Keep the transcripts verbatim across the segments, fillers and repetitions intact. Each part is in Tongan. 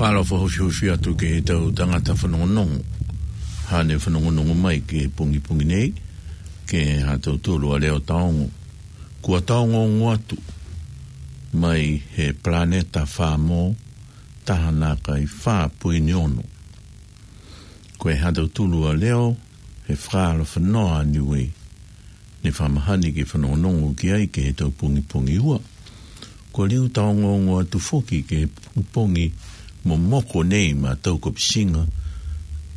Palo fakahofihofi atu ki he tau tangata fanongonongo. Hane fanongonongo mai ki he pongipongi nei, ki he ha tautolu ʻa Leo Taongo. Kua taongoongo atu mai he palaneta Famo, taha nākai fā poini ono. Ko e ha tautolu ʻa Leo, he fakaalofa noa ʻa Niue, ne fakamahani ke fanongonongo ki ai ki he tau pongipongi ua. Kua liu taongoongo atu foki ki he pongipongi momoko nei maʻa tau kapusinga,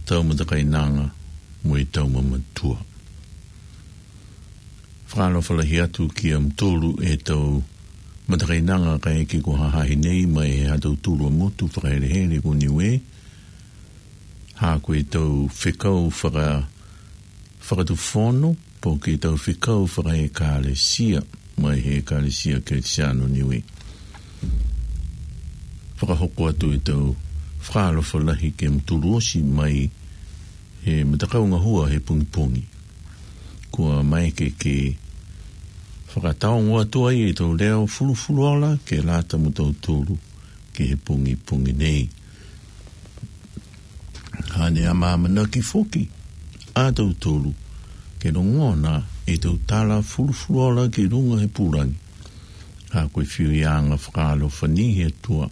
tau matakainanga, mo e tau mamatua. Fakaalofa lahi atu kia mutolu e tau matakainanga kae ʻeke ko hahahi nei mai he ha tautolu ʻa motu fakahelehele ko Niue. Ha ko e tau fekau faka-, fakatufono, po ke tau fekau fakaekalesia, mai he Ekalesia Kelisiano Niue. Fakahoko atu e tau fakaalofa lahi kia mutolu ʻosi mai he matakau ngahua he pongipongi. Kua maeke ke fakataongo atu ai e tau leo fulufuluola ke lata mo tautolu ki he pongipongi nei. Hane ʻamanaki foki ʻa tautolu ke longona e tau tala fulufuluola ki lunga he pulangi. Ha ko e fiu ia anga fakaalofa ni he tua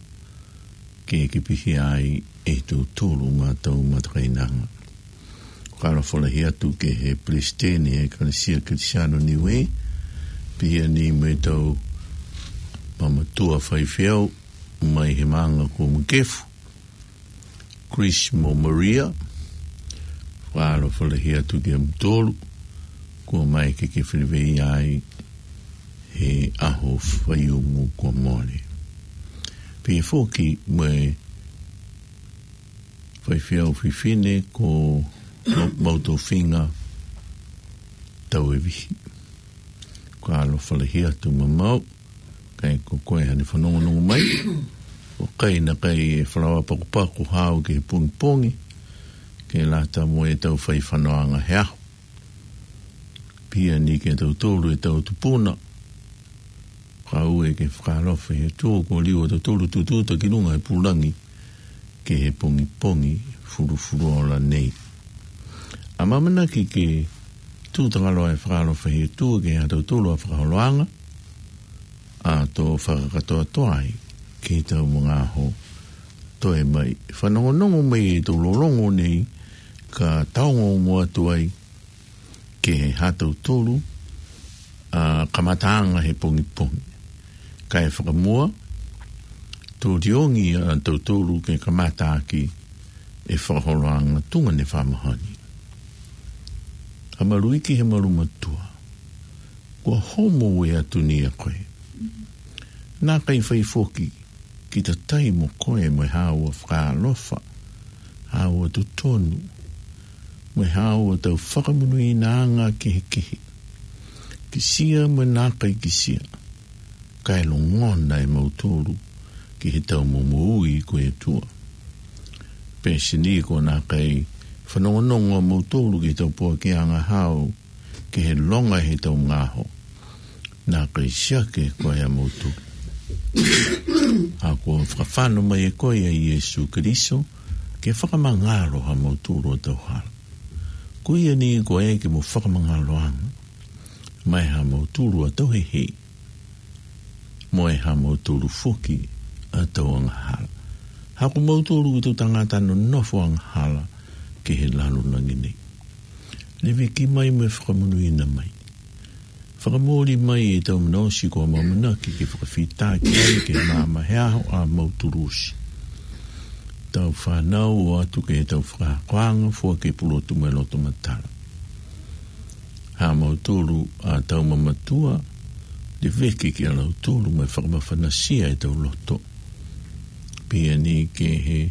ke ke pihia ai e tautolu ma tau matakainanga. Fakaalofa lahi atu ki he Palesiteni he Ekalesia Kelisiano Niue, pihia ni mo e tau mamatua faifeau mai he maʻanga ko Makefu, Chris mo Maria. Fakaalofa lahi atu kia mutolu, kua maeke ke feleveia ai he ʻaho Faiumu kua mole. Pehē foki mo e faifeau fefine ko Mau-, Mautofinga Tauevihi. Fakaalofa lahi atu maʻa Mau, kae ko koe hane fanongonongo mai. ʻOku ʻikai nakai e falaoa pakupaku hao ki he pongipongi, ke lata mo e tau fai fanoanga he ʻaho. Pihia ni kia tautolu e tau tupuna. Kau ʻe ke fakaalofa he tō ko liu ʻa tautolu tututa ki lunga he pulangi ki he pongipongi fulufuluola nei. ʻAmanaki ke tū tangaloa e fakaalofa he tō ki ha tautolu ʻa fakaholoanga, ʻa tō fakakatoatoa ai ki he tau mangaaho toe mai. Fanongonongo mai e tau lolongo nei ka taongoongo atu ai ki he ha tautolu ʻa kamataʻanga he pongipongi. Kae fakamua, tō liongi ʻa tautolu ke kamata ʻaki e fakaholoanga tuʻunga ne fakamahani. ʻA Maluiki he malu matua, kua homo ue atu ni ʻa koe. Nakai fai foki ki tatai mo koe mo e haʻo fakaalofa, haʻo totonu, mo e haʻo tau fakamonuʻinaʻanga kehekehe. Kisia mo nakai kisia, kae longona e mautolu ki he tau momoui ko e tua. Pehē ni ko nakai fanongonongo mautolu ki he tau poakiʻanga hao, ki he longa he tau ngaaho. Nakai siake koe ʻa mautolu. ʻA kua fakafano mai e koe ʻa Iesu Keliso, ke fakamangalo ha mautolu ʻa tau hala. Ko ia ni ko e ke mo fakamangaloanga, mai ha mautolu ʻa tau hehe, mo e ha mautolu foki ʻa tau angahala. Ha ko mautolu ko e tau tangata nonofo angahala ki he lalo langi nei. Leveki mai mo e fakamonuina mai. Fakamoli mai e tau manaosi ko ʻamanaki ke fakafitaki ai ke mama he ʻaho ʻa mautolu ʻosi. Tau fanau ʻo atu ke tau fakahakoanga fua ke pulotu mo e loto matala. Ha mautolu ʻa tau mamatua, leveki kia lautolu mo e fakamafanasia e tau loto. Pehē ni ki he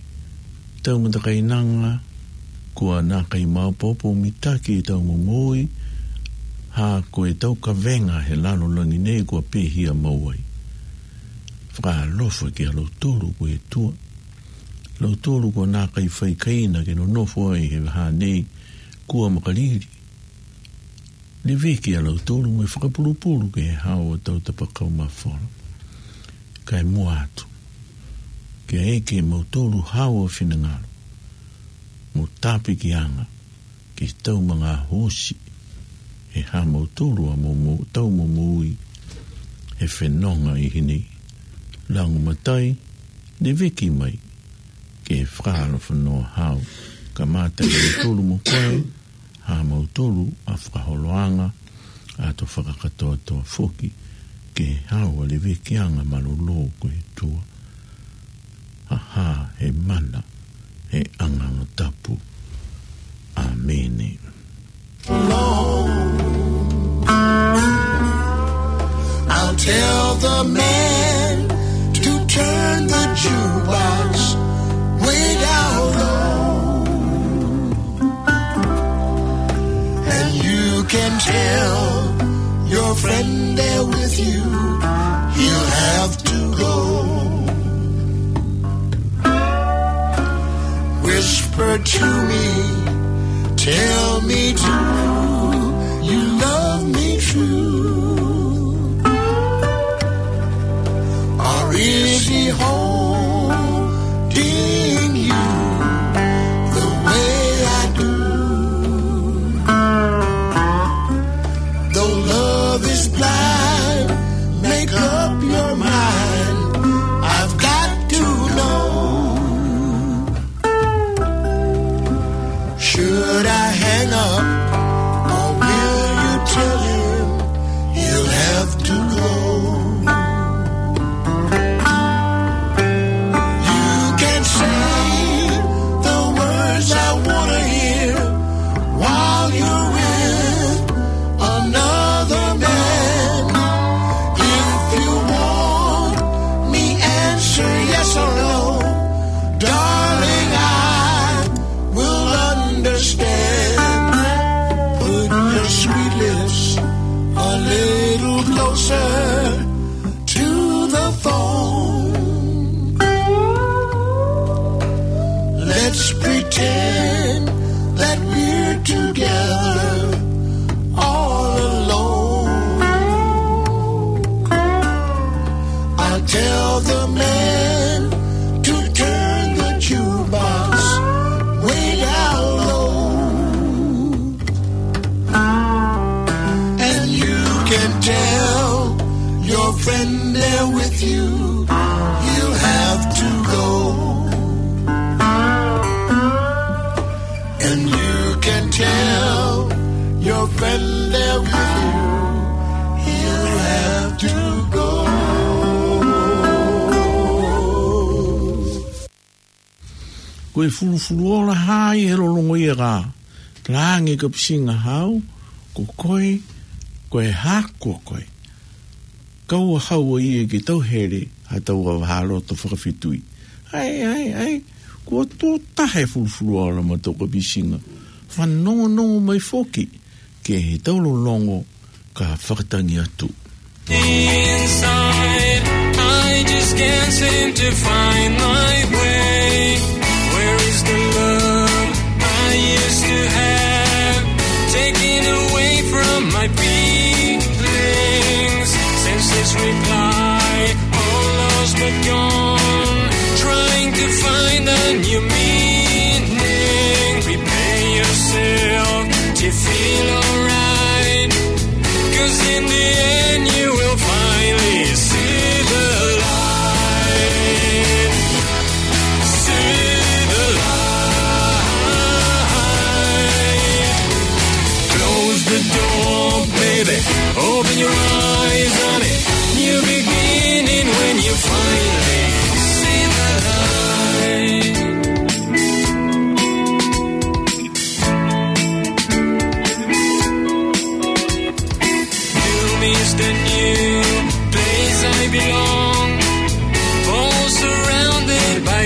tau matakainanga, kua nakai maopoopo mitaki e tau momoui, ha ko e tau kavenga he lalo langi nei kua pehia maua ai. Fakaalofa kia lautolu ko e tua. Lautolu kua nakai fai kaina ke nonofo ai he vaha nei kua makalili. Leveki ʻa lautolu mo e fakapulupulu ki he haʻo ʻa tau tapakau mafola. Kae mua atu, ke ʻeke mautolu hao ʻa e finangalo mo tāpikiʻanga ke tau manga hosi ʻe haʻamautolu ʻa mo, mo tau momoui he fenonga ʻi heni. Langu matai, leveki mai ke fakahalo fanoa hao, kamata ʻi mautolu mo koe, haʻamautolu ʻa fakaholoʻanga, ʻa to fakakatoatoa foki ke hao ʻa levekiʻanga malolo ko e tua. ʻA hā he mana he ʻangaʻanga tapu. ʻĀmeni. I'll tell the man to turn the jukebox way down low. And you can tell your friend there with you, he'll have to go. Whisper to me, tell me, do you love me true? Or is he holding you the way I do? Though love is blind, make up your mind. I've got to know. Should I hang up, or will you tell him he'll have to go? You can say the words I wanna hear while you're with another man. If you want me, answer yes or no. Darling, I will understand. Put your sweet lips a little closer to the phone. Let's pretend that we're together all alone. I'll tell the man to turn the jukebox way down low. And you can tell your friend there with you, he'll have to go. And you can tell your friend there with you, he'll have to go. Ko e fulufuluola hā ʻi he lolongo ia ka langi ka pisinga hao, ko koe, ko e hā ko koe. Kau a hau ʻa ia ke tau hele, ha tau a vaha loto fakafetui. Ai, ai, ai, kua tō tahe fulufuluola mo tau ka pisinga. Fanongonongo mai foki, ke he tau lolongo ka fakatangi atu. Inside, I just can't seem to find my way. Where is the love I used to have? Taken away from my feelings. Senseless reply, all lost but gone. Trying to find a new meaning. Prepare yourself to feel alright. 'Cause in the end you will finally see the light. See the light. Close the door, baby. Open your eyes, honey. New beginning when you finally see the light. New me is the new place I belong. All surrounded by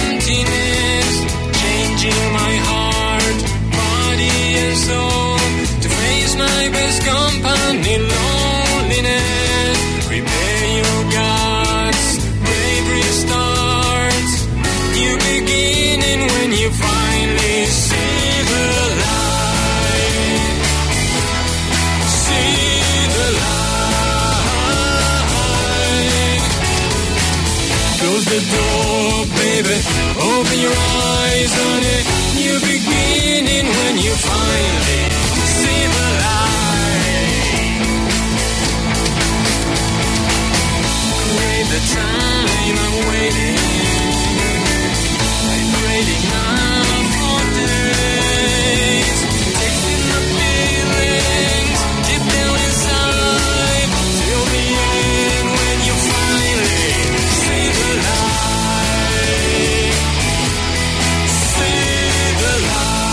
emptiness. Changing my heart, body and soul. To face my best company, loneliness. Prepare your guts, bravery starts. New beginning when you finally see the light. See the light. Close The door, baby, open your eyes, honey. New beginning when you finally see the light. Great the time I'm waiting. I'm waiting now for days. Tasting the feelings deep down inside. Till the end when you finally see the light. See the light.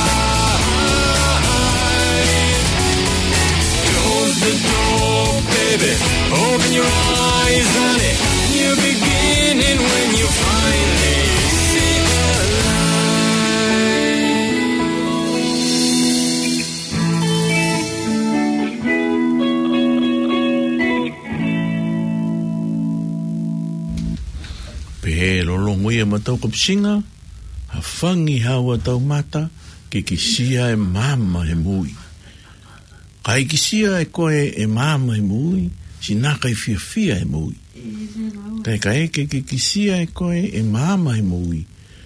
Close the door, baby. Open your eyes, honey. New beginning when you finally see the light. Pehē lolotonga ia ʻetau kapusinga, hāfangi haʻo tau mata, ke kisia e maama he moʻui. Kae kisia ʻe koe e maama he moʻui, siʻi nākai fiefia e moʻui. Kae ʻikai ke ke kisia ʻe koe e maama he moʻui,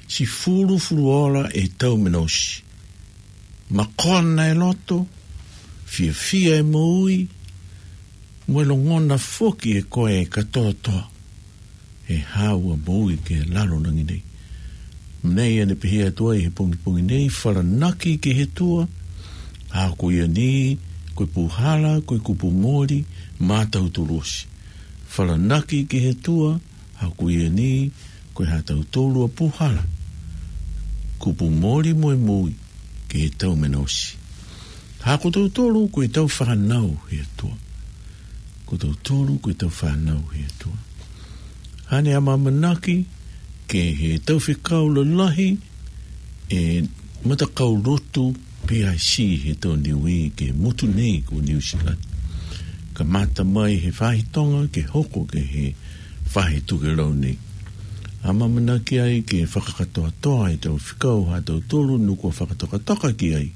siʻi fulufuluola e tau mei he ʻosi. Mākona e loto, fiefia e moʻui, mo e longona foki ʻe koe e kātoatoa he haʻo moʻui ki he lalo langi nei. Mei heʻene pehē atu ai he pongipongi nei, falanaki ki he ʻOtua, he ko ia ni ko e puhala, ko e kupu moli maʻatautolu ʻosi. Falanaki ki he ʻOtua, he ko ia ni ko e haʻatautolu ʻa e puhala, kupu moli mo e moʻui ki he tau mei he ʻosi. He ko tautolu ko ʻetau fānau he ʻOtua. Ko tautolu ko ʻetau fānau he ʻOtua. Haʻane ʻamanaki ke ʻi ai ha tau fekau lalahi e matakau lotu PIC he tau Niuē ki he motu nei ko Niu Sila. Kamata mai he faʻahi Tonga ke hoko ki he faʻahi Tokelau nei. ʻAmanaki ai ke fakakatoatoa e tau fekau haʻatautolu naʻa kuo fakatokatoka ki ai.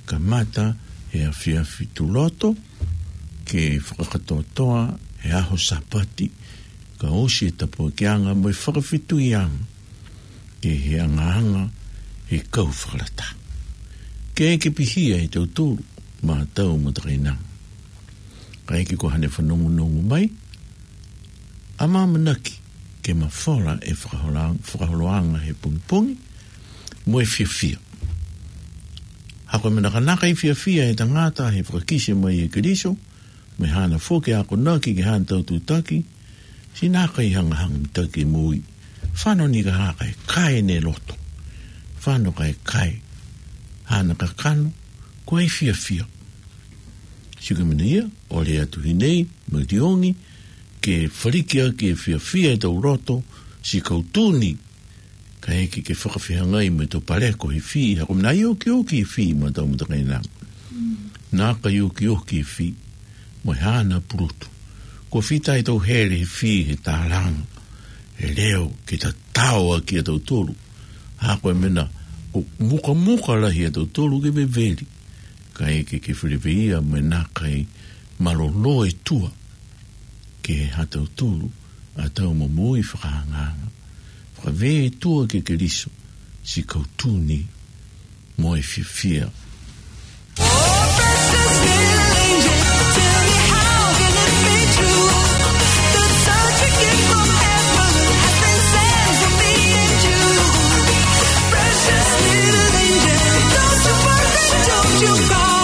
Kamata he efiafi Tuloto, ke fakakatoatoa he ʻaho Sāpate, kae ʻosi e tāpuakiʻanga mo e fakafetuiaʻanga ki he angaanga he kau fakalata. Ke ke pihia ʻe tautolu maʻa ʻetau matakainanga. Kae ʻikai ko haʻane fanongonongo mai, ʻamanaki ke mafola e fakaholoa-, fakaholoaʻanga he pongipongi, mo e fiefia. He ko e meʻa nakanaka ʻi he fiefia e tangata he fakakisi mai ʻe Keliso, mo haʻane foki akonaki ki haʻane tau tūtaki, siʻi nākai hangahanga mitaki moʻui. Fano ni ka haka e kai ne loto. Fano kai kai. Haʻane kakano, ko e fiefia. Sio ki he meʻa ia, ʻoku ʻi ai atu ʻi heni, mo e tiogi, ke faliki ʻaki e fiefia ʻetau loto, siʻi kau tuni, kae ʻikai ke fakafehangahangai mo e tau paleko he fī, he ko e meʻa ʻoku okioki e fī maʻa ʻetau matakainanga. Nākai okioki e fī, mo haʻane pulotu. Ko e fita ʻetau hele he fī he tālanga, he leo, ke tatau ʻaki ʻa tautolu. He ko e meʻa, ko e mukamuka lahi ʻa tautolu ke veveli. Kae ʻikai ke feleveia mo e nākai mālōlō e tua ki he haʻatautolu ʻa ʻetau moʻui fakaangaanga. Fakavē e tua kia Keliso, siʻi kau tuni mo e fiefia. Oh, precious little angel, tell me how can it be true that such a gift from heaven has been sent to me and you? Precious little angel, don't you worry, don't you cry.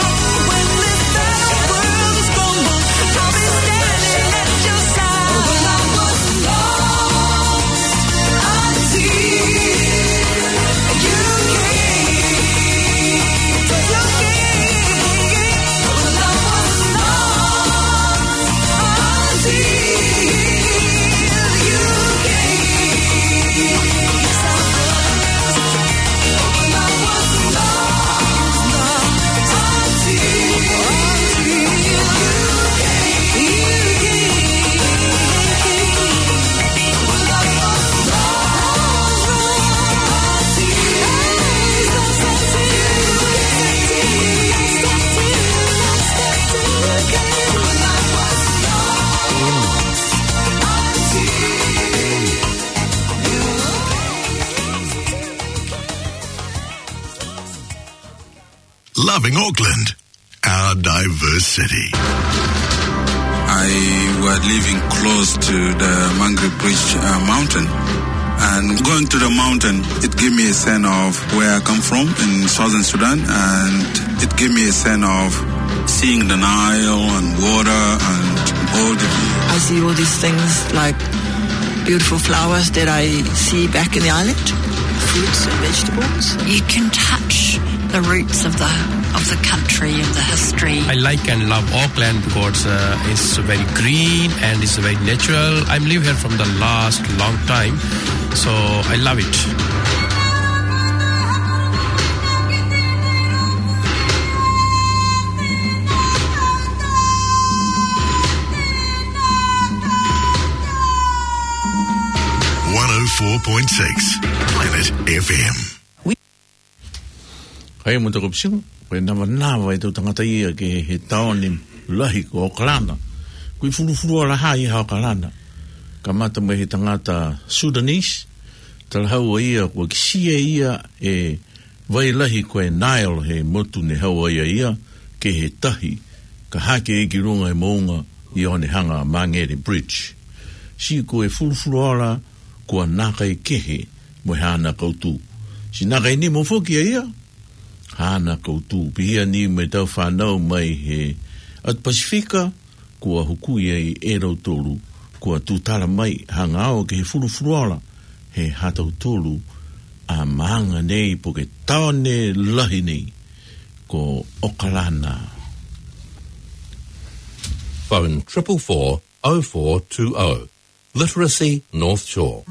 When this battered world is crumbled, I'll be standing at your side. When I was lost, I see you came. Loving Auckland, our diverse city. I was living close to the Mangere Bridge, uh, mountain. And going to the mountain, it gave me a sense of where I come from in Southern Sudan, and it gave me a sense of seeing the Nile and water and all the I see all these things like beautiful flowers that I see back in the island, fruits and vegetables. You can touch the roots of the, of the country and the history. I like and love Auckland because, uh, it's very green and it's very natural. I'm live here from the last long time, so I love it. One oh four point six Planet F M. Kae mou toki ʻosi, ko e navanava ʻetau tangata ia ki he taone lahi ko ʻOkalana. Ko e fulufuluola ia ʻa ʻOkalana. Kamata mei he tangata Sudanese, talahau ʻe ia kuo kiʻi sio ia e vai lahi ko e Nile he motu ne hau ai ʻa ia ki he tahi, ka hake ia ki luga he moʻunga ʻo ne hanga ʻo Mangere Bridge. Sio ko e fulufuluola kuo nākai kehe mo haʻana kautū. Sio nākai nimo foki ʻa ia haʻana kautū. Pehē ni mo ʻetau fānau mai he ʻAtu Pasifika, kuo hukui ai ʻe lautolu, kuo tūtala mai hanga ʻo ki he fulufuluola, he ʻatautolu ʻa māmani nei pe ko e taone lahi nei ko ʻOkalana. Phone triple four oh four two oh. Literacy North Shore.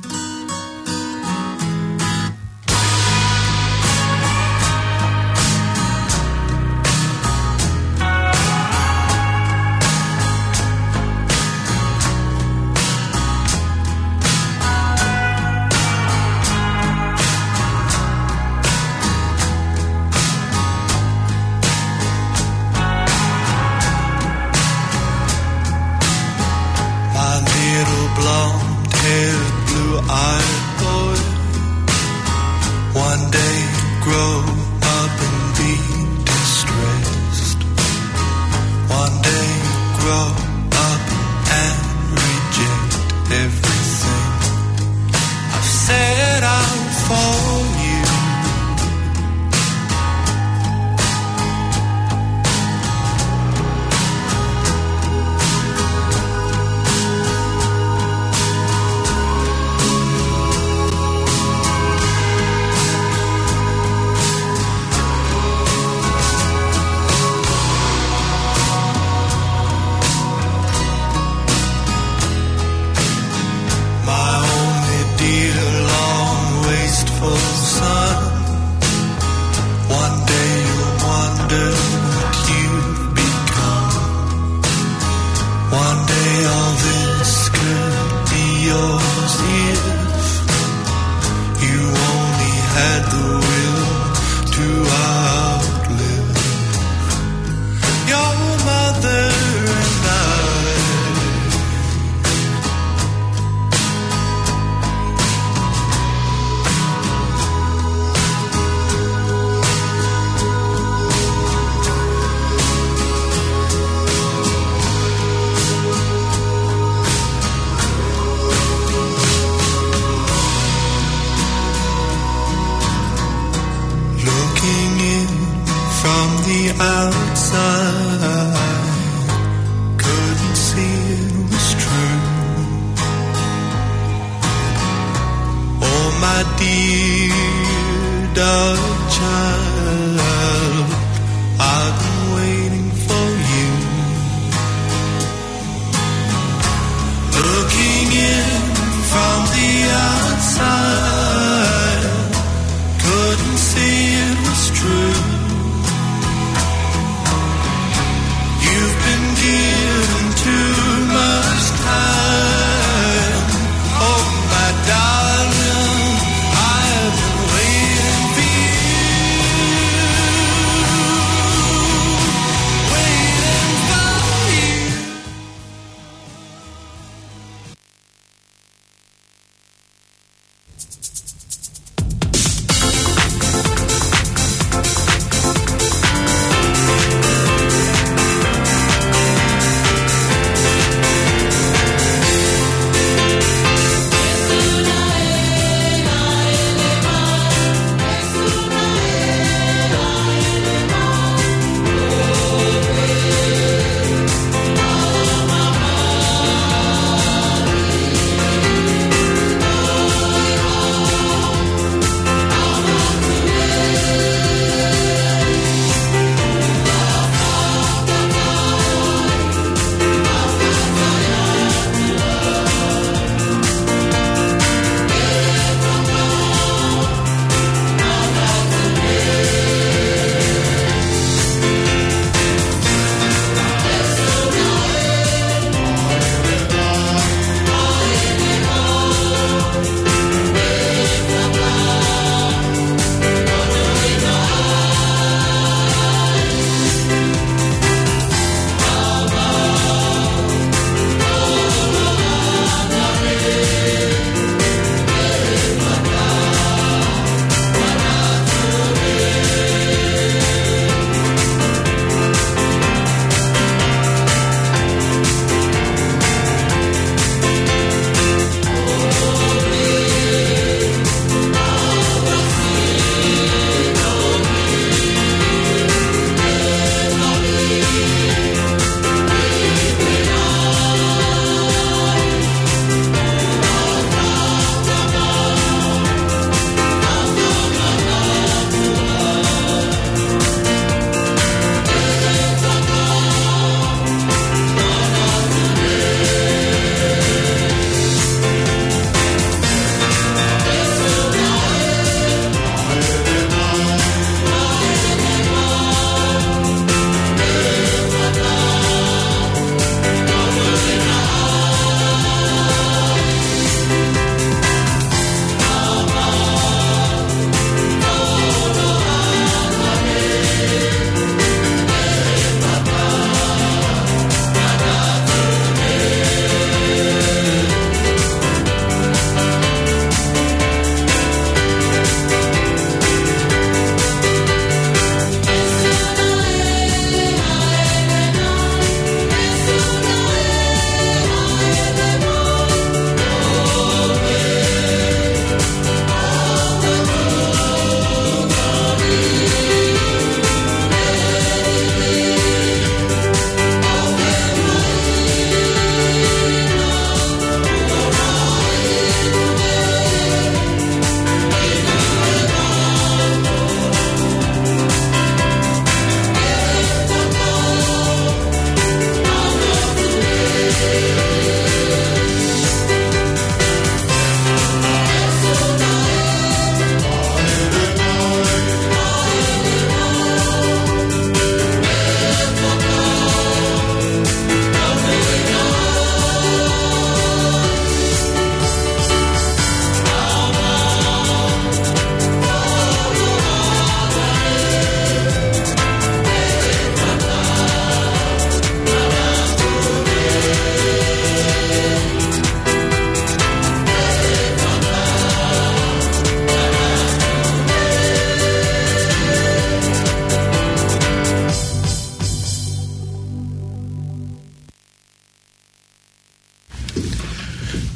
My little blonde-haired, blue-eyed boy, one day grow up and be distressed. One day grow up and reject everything I've set out for you. My only dear long wasteful son, one day you'll wonder what you've become. One day all this could be yours if you only had the will to outlive your mother and I. Looking in from the outside, couldn't see it was true. Oh, my dear dark child, I've been waiting for you. Looking in from the outside, couldn't see it was true. You've been given too much time. Oh, my darling, I've been waiting for you. Waiting for you.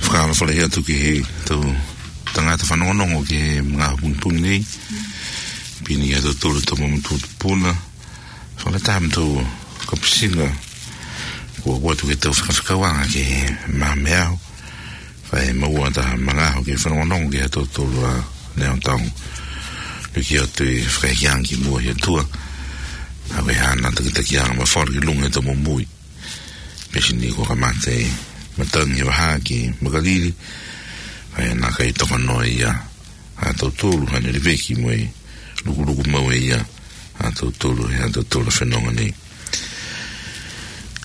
Ka ma fale atu ki he tau tangata fanongonongo ki he magaaho pongipongi nei. Pini ia tau tolu tau mamatua tupuna. Fale tama tau kapusinga. Kua kuatu ke tau fakafakauanga ki he mame au. Fai maua ta magaaho ke fanongonongo ki he tau tolu a neo tau. Piki atu e fakahikianga ki mua he tua. Awe hana takitakianga ma fale ki lunga he tau mumui. Pesi ni ko kamate matangi he vaha ki Makalili. Ae na kai tokanoa ia. A tau tolu hane riveki mo e lukuluku mau e ia. A tau tolu he a tau tolu fenonga nei.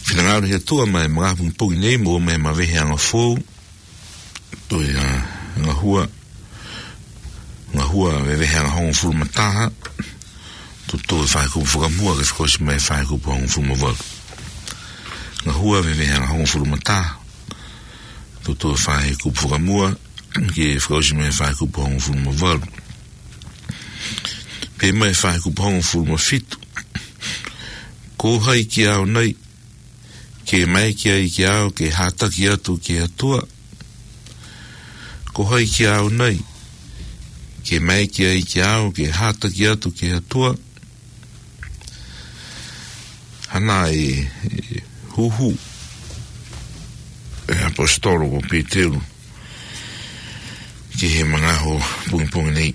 Finangalo he tua mai magaaho pongipongi nei mo mai mavehe anga fou. Toi a ngahua. Ngahua vevehe anga hongofulu mataha. Tutu e fai kupu fakamua ke fakaosi mai fai kupu hongofulu mavalu. Ngahua vevehe anga hongofulu mataha. Tutu e fai kupu fakamua ke fakaosi mai fai kupu hongofulu mavalu. Pe mai fai kupu hongofulu mafitu. Ko hai ki au nei. Ke mai ki ai ki au ke hataki atu ki atua. Ko hai ki au nei. Ke mai ki ai ki au ke hataki atu ki atua. Hana e huhu e apostolo ko Peteru. Ki he mangaho pungipungi nei.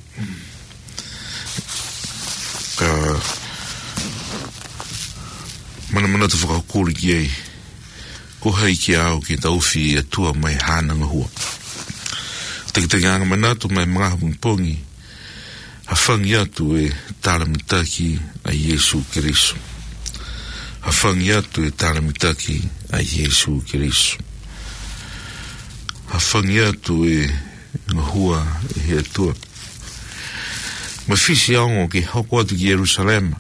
Ka manamanatu fakahukuli ki ai. Ko hai ki au ke taufi e atua mai hana ngahua. Takitaki anga manatu mai mangaho pungipungi. Hafangi atu e talamitaki a Iesu Keriso. Hafangi atu e talamitaki a Iesu Keriso. Hafangi atu e ngahua e he atua. Mafisi a ongo ke hoko atu ki Ierusalema.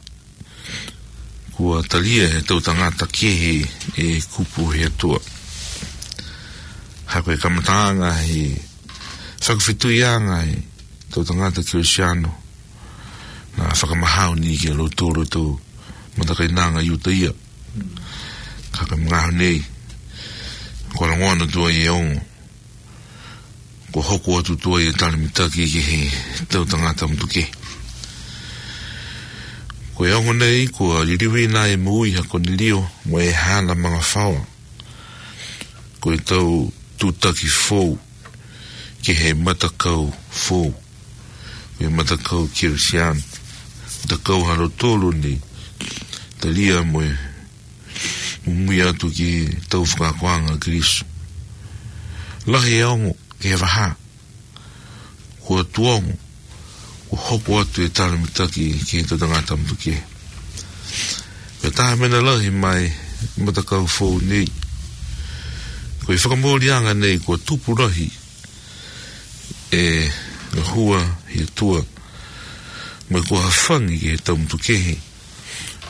Kua talia he tau tangata kehe e kupu he atua. Hako e kamataanga he fakafetuianga he tau tangata Kirisiano. Na fakamahau ni ke lo toro tau matakainanga Iutaia. Hako e mangaho nei. Kua langoana tua i e ongo. Ko hoko atu tua i e talamitaki ki he tau tangata mutuke. Ko e ongo nei, kua liliuina e mui ha Konelio mo e hana mangafaoa. Ko e tau tutaki fou ki he matakau fou. Ko e matakau Kirisiano. Matakau halo tolu ni. Talia mo e mumui atu ki tau fakakoanga Kirisu. Lahi e ongo ke he vaha. Kua tuongo. Kua hoko atu e talamitaki ki he tau tangata mutuke. Ko e taha mena lahi mai matakau fou nei. Ko e fakamolianga nei kua tupu lahi e ngahua he atua. Mo e kua hafangi ki he tau mutukehe.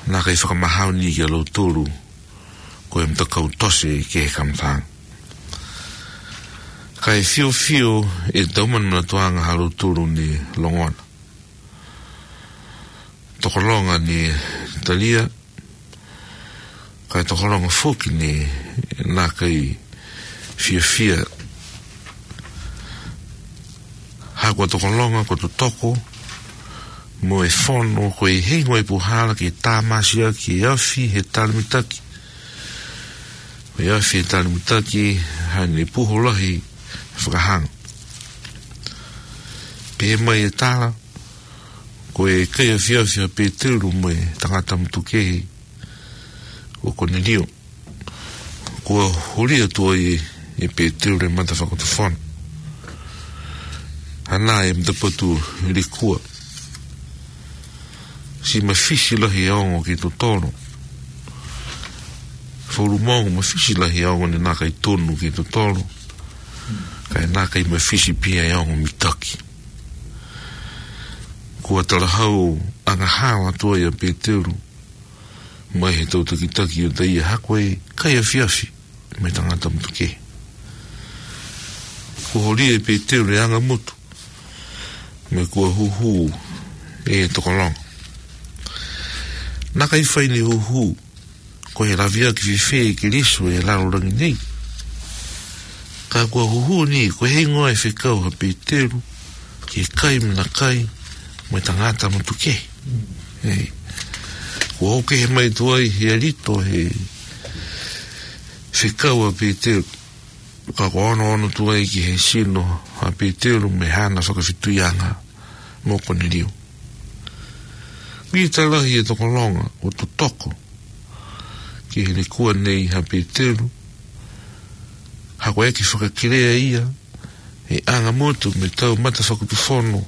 Na kai fakamahau ni ki a lo tolu. Ko e matakau tose ki he kamataanga. Kai fiofio e tau manamanatuanga halo tolu ni longona. Tokolonga ni talia. Kai tokolonga foki ni na kai fiofia. Hako tokolonga ko totoko. Mo e fono ko e hingo e puhala ke tamasiaki e afi he talamitaki. Ko e afi he talamitaki hane puho lahi fakahanga. Pe mai e tala, ko e kai afiafi a Petelu mo e tangata mutukehe o Konelio. Kua holi atu ai e Petelu e mata fakatofona. Hana e mata patu likua. Si mafisi lahi e ongo ki totolo. Folu mongo mafisi lahi e ongo ni na kai tonu ki totolo. Kai na kai mafisi pia e ongo mitaki. Kua talahau angahala atu ai a Petelu. Mai he tau takitaki o taia hako e kai afiafi. Mo e tangata mutuke. Kua holi e Petelu e anga mutu. Mo e kua huhu e tokolonga. Na kai fai ni huhu. Ko e lavia ki fife ki lisu e lalo langi nei. Ka kuo huhuni, ko e hingoa e fekau ʻa Petelu, ke kai mena kai, mo e tangata motukehe. Ei. Kuo ʻoke he mai tuai he alito he fekau ʻa Petelu. Ka kuo onoono tuai ki he sino ʻa Petelu mo hana fakafetuianga mo Konelio. Mita lahi e tokologa ʻo totoko ki he lekua nei ʻa Petelu, ha ko e ʻeke fakakelea ia, he anga motu mo e tau mata fakatufono,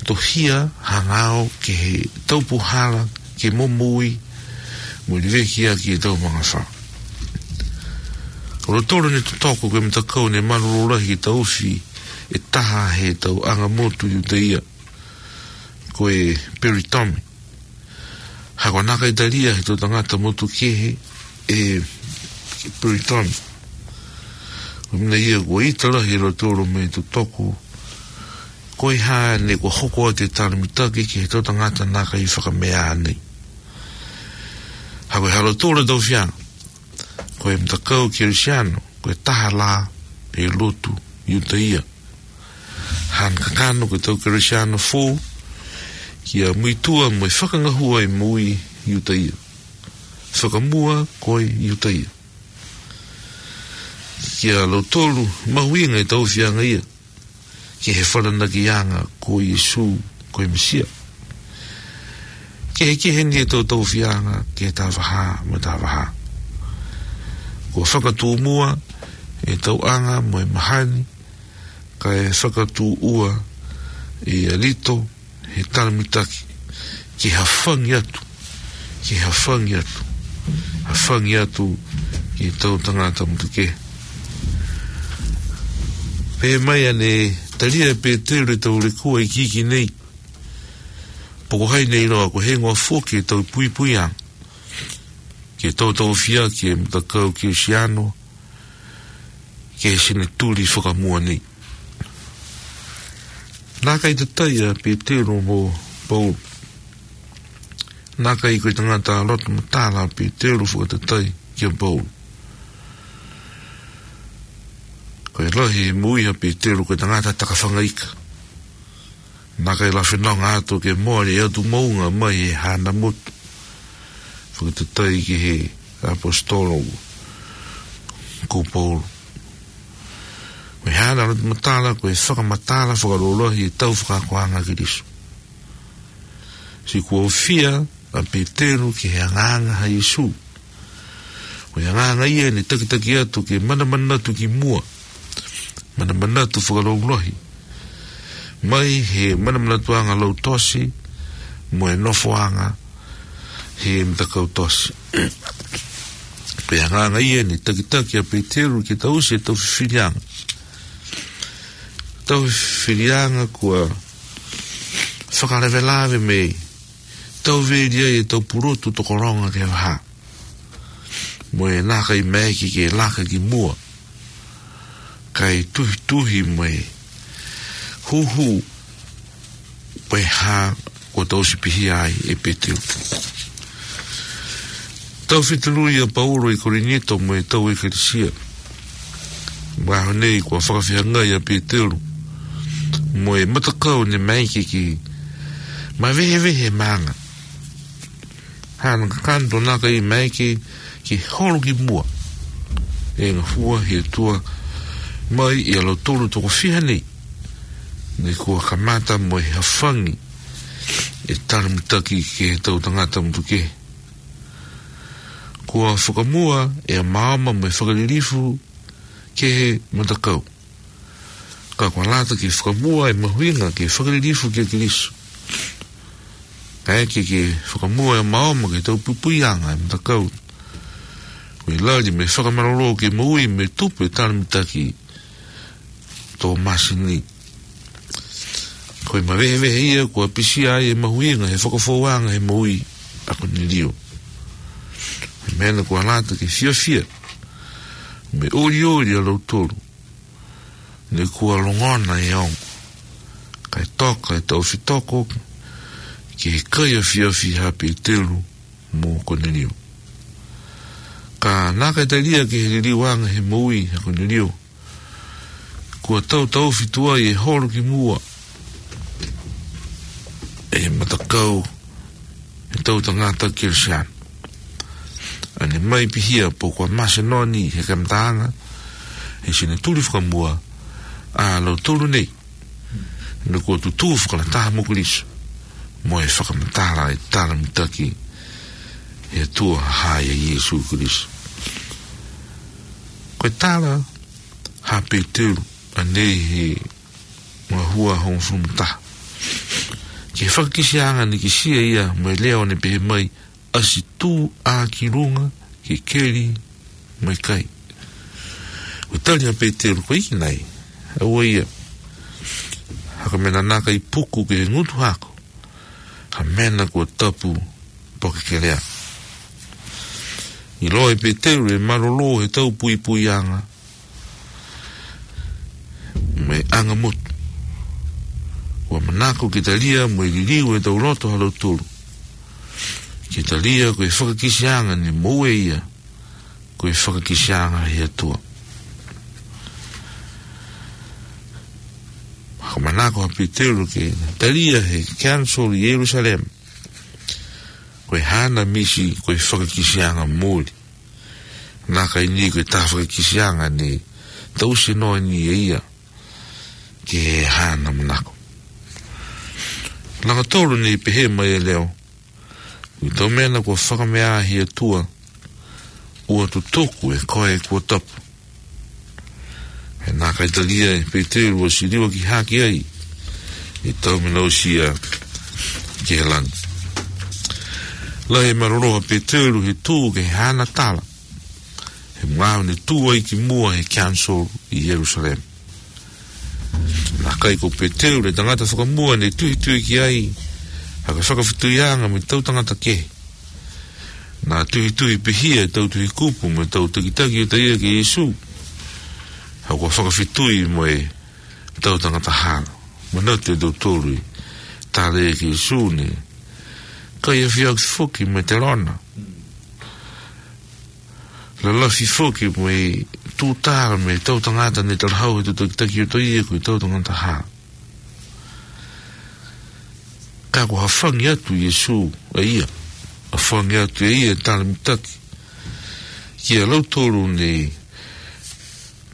tohia hangao ki he tau puhala, ke momoui, mo leveki ʻaki e tau mangafā. ʻO lotolo ne totoko ko e matakau ne malolo lahi ke taufi e taha he tau anga motu Iutaia, ko e peritomi. Ha ko e nakai talia he tau tangata motukehe e peritomi. Ko e meʻa ia kuo ʻita lahi e lotolo mo e totoko, ko e hā ne kuo hoko atu e tala mitaki ki he tau tangata nakai fakameʻa nei. Ha ko e ha lotolo taufianga, ko e matakau Kelisiano, ko e taha lā e lotu Iutaia. Hana kakano ko e tau Kelisiano fou, kia muitua mo e fakangahua e moʻui Iutaia. Fakamua ko e Iutaia. Kia lautolu mahuʻinga e taufianga ia, ki he falanakiʻanga ko Sīsū ko e Mesia. Kehekehe ni e tau taufianga, ki he tau vaha mo e tau vaha. Kuo fakatūmua e tau anga mo e mahani, kae fakatūʻua e alito he tala mitaki, ke hafangi atu, ke hafangi atu, hafangi atu ki he tau tangata motukehe. Pehē mai ʻa e talia ʻe Petelu e tau lekua iiki nei, poko hai nei loa ko e hingoa foki e tau puipuianga, ke tau tau fia ki he matakau Kelisiano, ki he senituli fakamua nei. Nakai tatai ʻa Petelu mo Paula. Nakai ko e tangata loto matala ʻa Petelu fakatatai kia Paula. Ko e lahi e moʻui ʻa Petelu ko e tangata takafangaika. Nakai la fenonga atu ke mole atu moʻunga mai he hana motu. Fakatatai ki he ʻaposetolo ko Paula. Ko e hana loto matala, ko e fakamatala fakalolohi e tau fakaakoʻanga ʻa Kilisu. Sio kuo fia ʻa Petelu ki he angaanga ʻa Sīsū. Ko e angaanga ia ne takitaki atu ke manamanatu ki muʻa. Manamanatu fakalaulahi. Mai he manamanatuʻanga lautosi, mo e nofoʻanga he matakau tosi. Ko e angaanga ia ne takitaki ʻa Petelu ke tausi e tau fifilianga. Tau fifilianga kuo fakalavelave mei tau veli ai e tau pulotu tokologa ki he vaha. Mo e nakai maeke ke laka ki muʻa. Kae tuhituhi mo e huhu mo e hā kuo tau sipihia ai ʻe Petelu. Tau fitulu ʻa Paula ʻi Kolinito mo e tau ʻekalesia. Mahalo nei kuo fakafeangai ʻa Petelu mo e matakau ne maeke ke mavehevehe maʻanga. Hana kakano nakai maeke ke holo ki muʻa. ʻE ngahua he tua mai ʻi a lautolu toko fiha nei. Ne kuo kamata mo e hafangi e tala mitaki ki he tau tangata motukehe. Kuo fakamua e maama mo e fakalilifu ki he matakau. Ka kuo lata ke fakamua e mahuʻinga ke fakalilifu kia Kilisu. Kae ke, ke fakamua e maama ke tau pupuianga e matakau. Ko e lali mo e fakamalolō ke moʻui mo e tupu e tala mitaki Tōmasi ni. Ko e mavehevehe ia kuo pisia ai e mahuʻinga he fakafouanga he moʻui ʻa Konelio. He meʻa kuo lata ke fiafia mo e ʻoliʻoli ʻa lautolu. Ne kuo longona e ongo. Kae toka e tau fitoko ki he kai afiafi ʻa Petelu mo Konelio. Ka nakai talia ki he liliuanga he moʻui ʻa Konelio. kuo tau taʻofi tuai e holo ki muʻa ʻe he matakau ʻe he toʻutangata Kelesiano. ʻA ʻene mai pihia pe ko e Masenoni he kamataʻanga ʻo e senituli fakamuʻa ʻa lautolu nei, naʻa nau tutu fakalataha mo Kalaisi mo e fakamatala e tala mitaki ʻa e ʻOtua ʻa Sīsū Kalaisi. Ko e tala ʻa Peteru ʻanenai he ngaahi ua hongofulu mā taha. Ki he fakakisiʻanga naʻe kisi ai ia mo e leʻo naʻe pehē mai, ʻasi tuʻa ki lunga ke keli mo e kai. ʻO tali ʻa Peteru, ko e ʻikai nai, ʻa ua ia, ha ka mena naka i puku ke ngutu hako, ha mena kuo tapu poke kelea. ʻIloa ʻe Peteru e malolō he tau puipuiʻanga mo e anga motu. Kuo manako ke talia mo e liliu e tau loto ha lautolu. Ke talia ko e fakakisiʻanga naʻe moʻua ia, ko e fakakisiʻanga he ʻOtua. Ka manako ʻa Peteru ke talia he council ʻi Selusalema ko e haʻana misi ko e fakakisiʻanga muli. Naʻe ʻikai ni ko e taha fakakisiʻanga naʻe tausi noa ni ʻe ia ki he haʻana manako. Langa tolu naʻe pehē mai e leʻo, ko e tau mena kuo fakameʻa he ʻOtua, ʻoua tutuku ʻe koe kuo tapu. He naʻe ʻikai talia ʻe Peteru ʻo siliva ki hake ai e tau mena ʻosi ia ki he langi. Lahi e malolō ʻa Peteru he tuʻu ki he haʻana tala he ngāue naʻe tuʻu ai ki muʻa he council ʻi Selusalema. Naʻe ʻikai ko Peteru e tangata fakamuʻa naʻe tuhituhi ki ai ha kiʻi fakafetuiʻanga mo e tau tangata kehe. Naʻe tuhituhi pihia e tau tuʻi kupu mo e tau takitaki ʻo taʻe kia Sīsū, ha kuo fakafetui mo e tau tangata hala. Manatu ʻe tautolu e tala ʻa Sīsū naʻe kai afiaki foki mo e telona. Lalafi foki mo e tūtala mo e tau tangata naʻe talahau he tau takitaki ʻo taʻe ko e tau tangata hala. Ka kuo hāfangi atu ʻe Sīsū ʻa ia, hāfangi atu ʻe ia e tala mitaki kia lautolu naʻe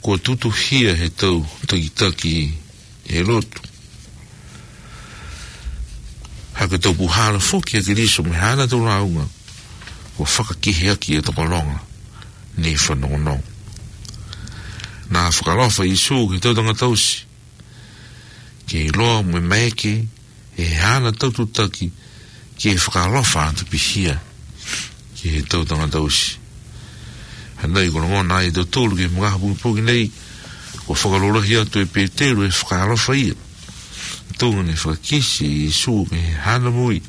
kuo tutuhia he tau takitaki he lotu. Ha ko e tau puhala foki ʻa Kalaisi mo e haʻana tau lāunga, kuo fakakeheaki e tokologa naʻe fanongonongo. Naʻe fakaʻaloʻofa ʻa Sīsū ki he tau tangata ʻosi, ke ʻiloa mo e maeke ʻe he haʻana tau tutaki ke fakaʻaloʻofa atu pihia ki he tau tangata ʻosi. Hangē ko e longona ʻa tautolu ki he magaaho pongipongi nei, kuo fakalotolahi atu ʻe Peteru e fakaʻaloʻofa ia. Tuʻunga naʻe fakakisi ʻe Sīsū ki he haʻana moʻui,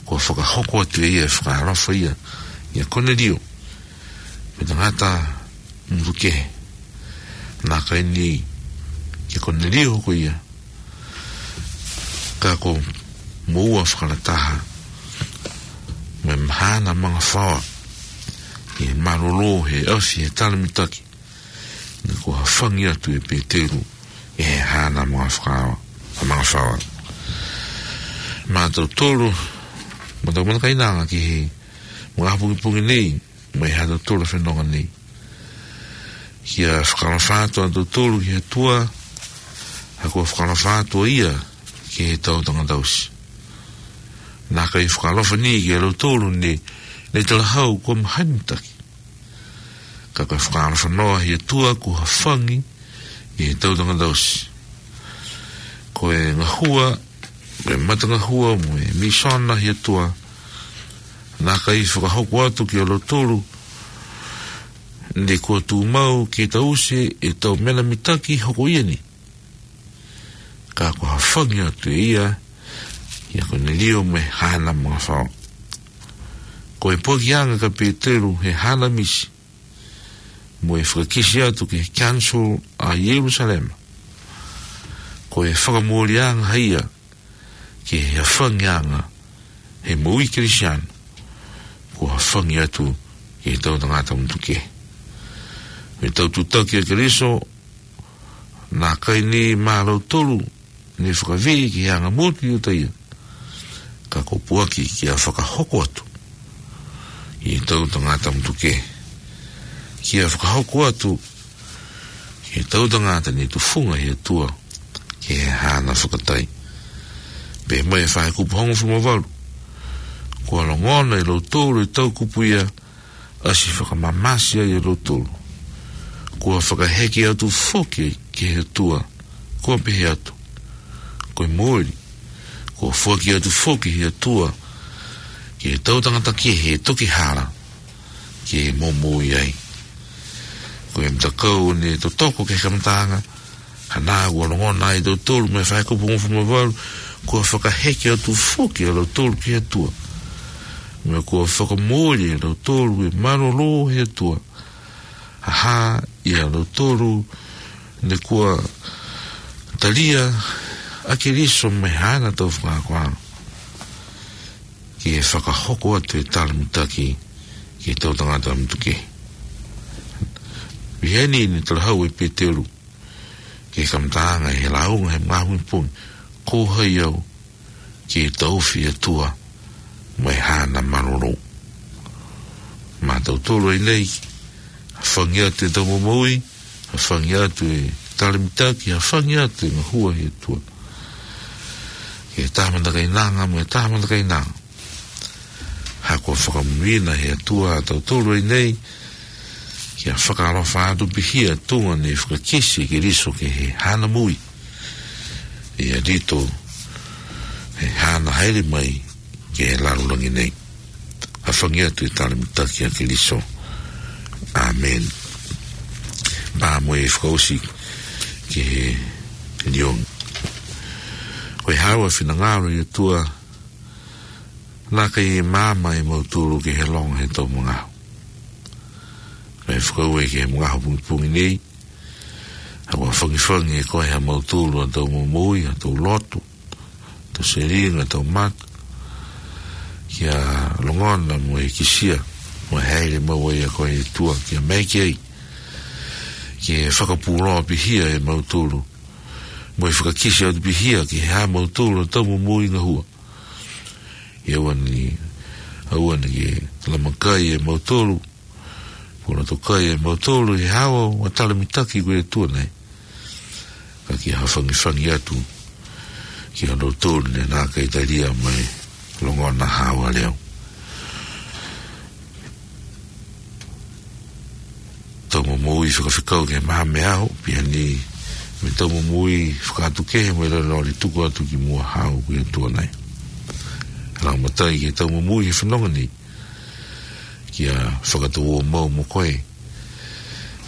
kuo fakahoko atu ʻe ia e fakaʻaloʻofa ia kia Konelio, ko e tangata motuʻa kehe. Naʻe ʻikai ni kia Konelio ko ia, ka ko e moʻua fakalataha mo e haʻana magafaoa, ʻi he malolō he ʻafi he tala mitaki naʻe kuo hāfangi atu ʻe Peteru ʻi he haʻana magafaoa, magafaoa. Mo tautolu, mo tau mata kainanga ki he magaaho pongipongi nei, mo e ha tautolu fenonga nei, kia fakaʻaloʻofa atu ʻa tautolu ki he ʻOtua, ha kuo fakaʻaloʻofa atu ʻa ia ki he tau tangata ʻosi. Naʻe ʻikai fakaʻaloʻofa ni kia lautolu naʻe, naʻe talahau kuo mahani mitaki. Ka ko e fakaʻaloʻofa noa he ʻOtua kuo hāfangi ki he tau tangata ʻosi. Ko e ngahua, mo e matangahua mo e mīsoni ʻa e ʻOtua, naʻe ʻikai fakahoko atu kia lautolu naʻe kuo tuʻumau ke taʻofi e tau mena mitaki hoko ia ni. Ka kuo hāfangi atu ʻe ia kia Konelio mo e haʻana magafaoa. Ko e poaki ange kia Peteru he haʻana misi mo e fakakisi atu ki he council ʻa Selusalema, ko e fakamoʻoniʻanga ia ki he hāfangiʻanga he moʻui Kelesiano, kuo hāfangi atu ki he tau tangata motuʻa kehe. Mo e tau tutaki ʻa Kalaisi, Naʻe ʻikai ni maʻa lautolu ne fakavī ki he anga motu ʻo e ʻIutaia, ka kuo pōpoaki kia fakahoko atu ʻi he toʻutangata ʻa Mutuke, kia fakahoko atu ʻi he toʻutangata ne tufunga ʻe he ʻOtua ki he haʻana fakatai. Pea mo e fai kupu hongofulu mā valu, kuo longona ʻe lautolu e toʻukupu ia, ʻasi fakamamasi ai ʻa lautolu. Kuo fakaheke atu foki ki he ʻOtua, kuo pehē atu, ko e moʻoni, kuo foaki atu foki ʻe he ʻOtua ki he toʻutangata kehe ʻe toki hala, ke momoi ai. Ko e matakau ne totoko ki he kamataʻanga, hangē kuo longona ai ʻe tautolu mei he fai kupu hongofulu mā valu, kuo fakaheke atu foki ʻa lautolu ki he ʻOtua, mo kuo fakamoʻui ʻa lautolu ʻe mālōlō ʻe he ʻOtua, ʻa ia ʻa lautolu ne kuo talia ʻa Keliso mei haʻana tau fakaakoʻanga, ke fakahoko atu e tala mitaki ki he toʻutangata ʻa Mutuke. Pea ʻi heʻene talahau ʻe Petelū ki he kamataʻanga ʻi he lāunga he ngaahi pongipongi, ko hai au ke taʻofi ʻa e ʻOtua mei haʻana mālōlō? Maʻatautolu ʻi heni, hāfangi atu ʻetau momoui, hāfangi atu e tala mitaki, hāfangi atu e ngahua ʻa e ʻOtua. Ke tau matakainanga, mo e tau matakainanga. He kuo fakamoʻui ʻe he ʻOtua kitautolu ʻi heni, ke fakaʻaloʻofa atu pē ʻi he tuʻunga ne fakakisi ʻe Keliso ki he haʻana moʻui, ʻi he ʻaho ko ia ʻi heʻene haʻele mai ki he lalolagi ni. Hāfangi atu e tala mitaki ʻa Keliso. ʻĀmeni. Pea mo e fakaʻosi ki he liongi. Ko e haʻu ʻa e finangalo ʻo e ʻOtua, naʻe ʻikai maama ʻa mautolu ki he longo he tau mangau. Kae fakaʻau ki he mangau pongipongi ni, ʻa e fakafangifangi ʻe koe ʻa mautolu ʻa tau momoui, ʻa tau loto, tau selinga, tau mata, kia longona mo e kisia, mo e haʻele maʻu ai ʻa koe ʻe ʻOtua, kia mai ki ai, ke fakapūlō pē ʻe mautolu, mo e fakakisi atu pē ki he haʻa mautolu ʻa tau momoui ngahua. ʻE ʻoua ni, ʻoua ni ke lamakai ʻa mautolu, puna tokai ʻa mautolu ʻi he haʻu ʻo tala mitaki ko e ʻOtua ni. Ka ke hāfangifangi atu kia lautolu ne nau ʻikai talia mai longona haʻu ʻa e leʻo. Tau momoui fakafekau ki he maama ʻo e ʻaho, pea ni mo e tau momoui fakaʻatukehe mo e lele loli tuku atu ki muʻa haʻu ko e ʻOtua ni. Laumālie ki he tau momoui he fononga ni, kia fakatau ʻo maʻu mo koe,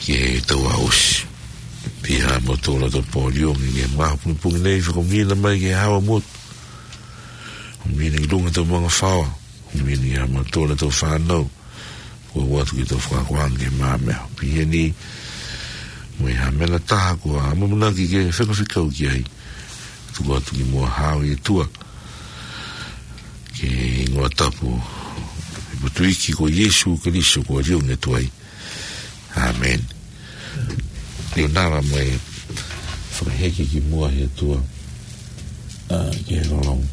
ki he tau ʻaosi. Pea mo tō la tō pō liongi, ki he mangau pongipongi ni, fakaʻuhinga mai ki he haʻa motu. ʻUhinga ki lunga tau manga faoa, ʻuhinga ki ha mautolu tau fānau, ko e ʻoatu ki tau fakaakoʻanga ki he maama. Pea ni, mo e hā meʻa ʻe taha kuo ʻamanaki ke fakafekau ki ai, tuku atu ki muʻa haʻu ʻe ʻOtua, ki he hingoa tapu ʻo e ʻEiki ko Sīsū Kalaisi ko e liongi ʻo e ʻOtua. ʻĀmeni. Leonara mai fakaheke ki muʻa ʻe he ʻOtua, ʻa, ki he lolonga.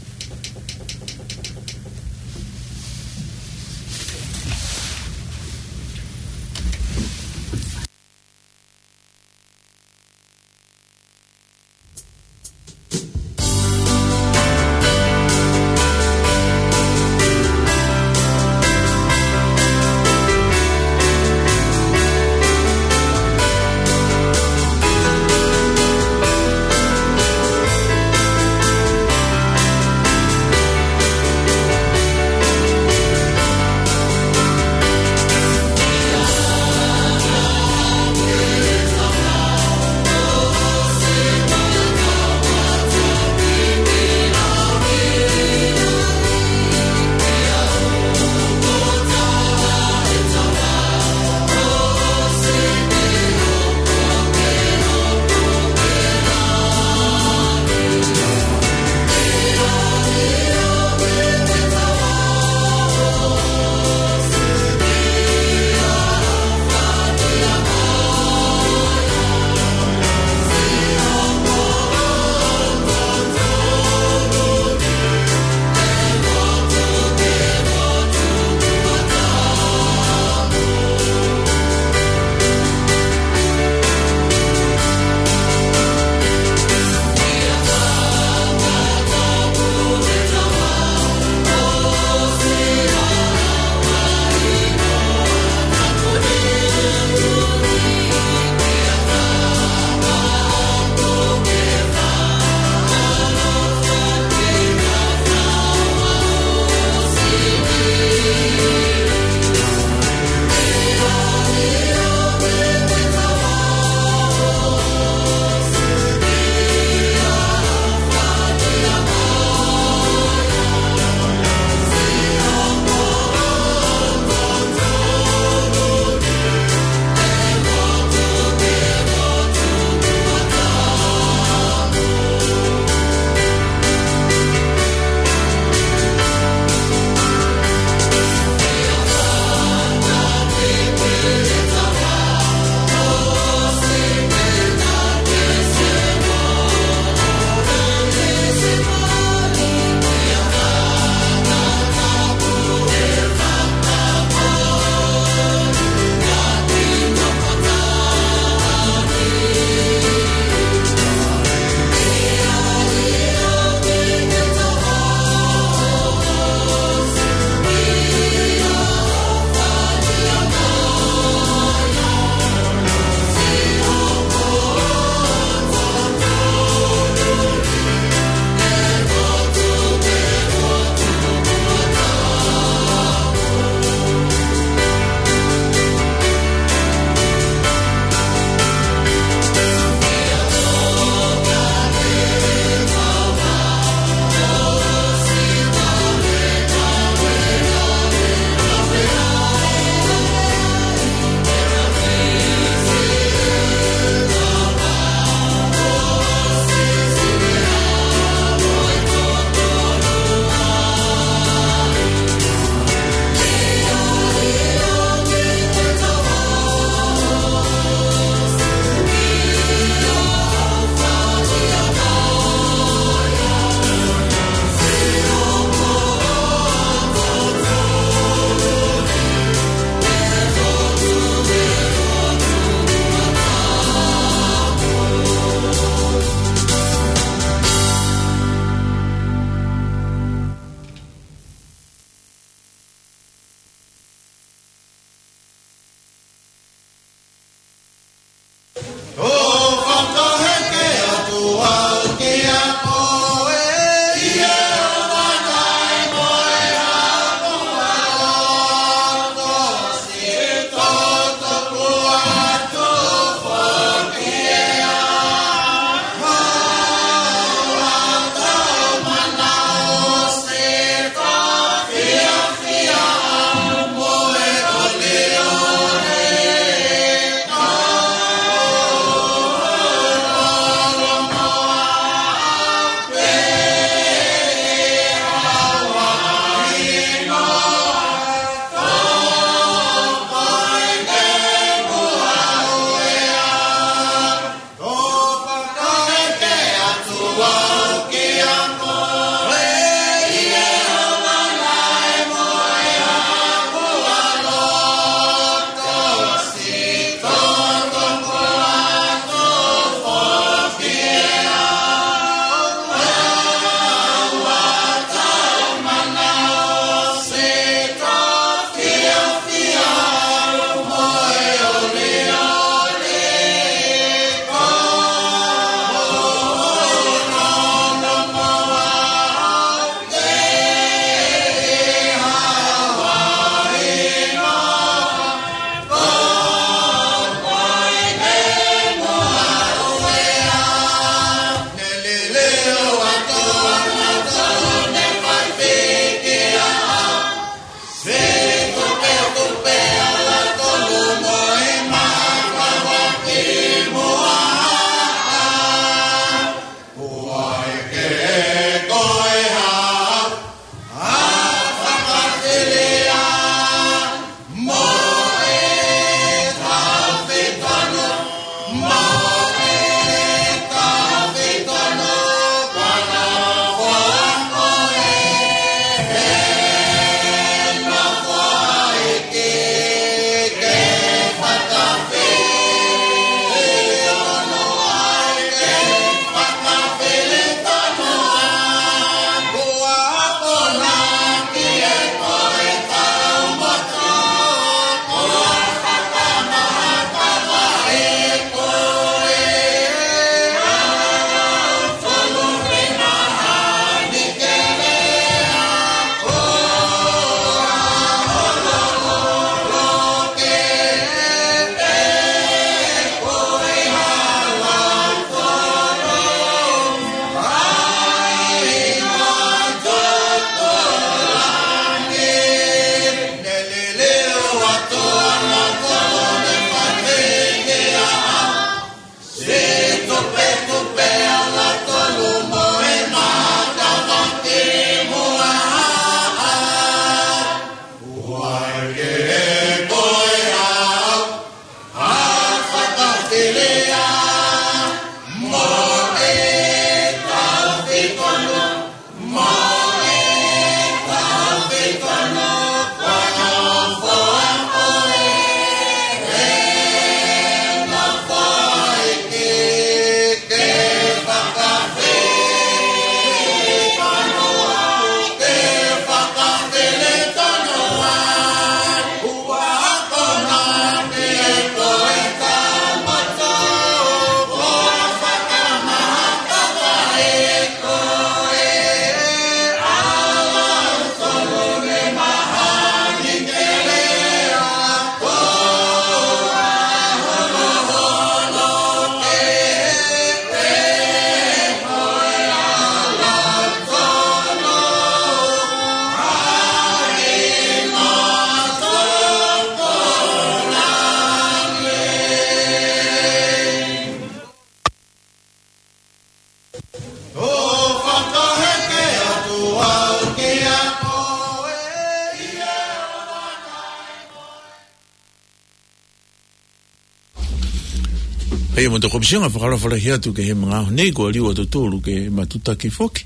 Pea mo e tau komisiona, fakaalofa lahi atu ki he magaaho nei, kuo liliu ʻa tautolu ke matutaki foki.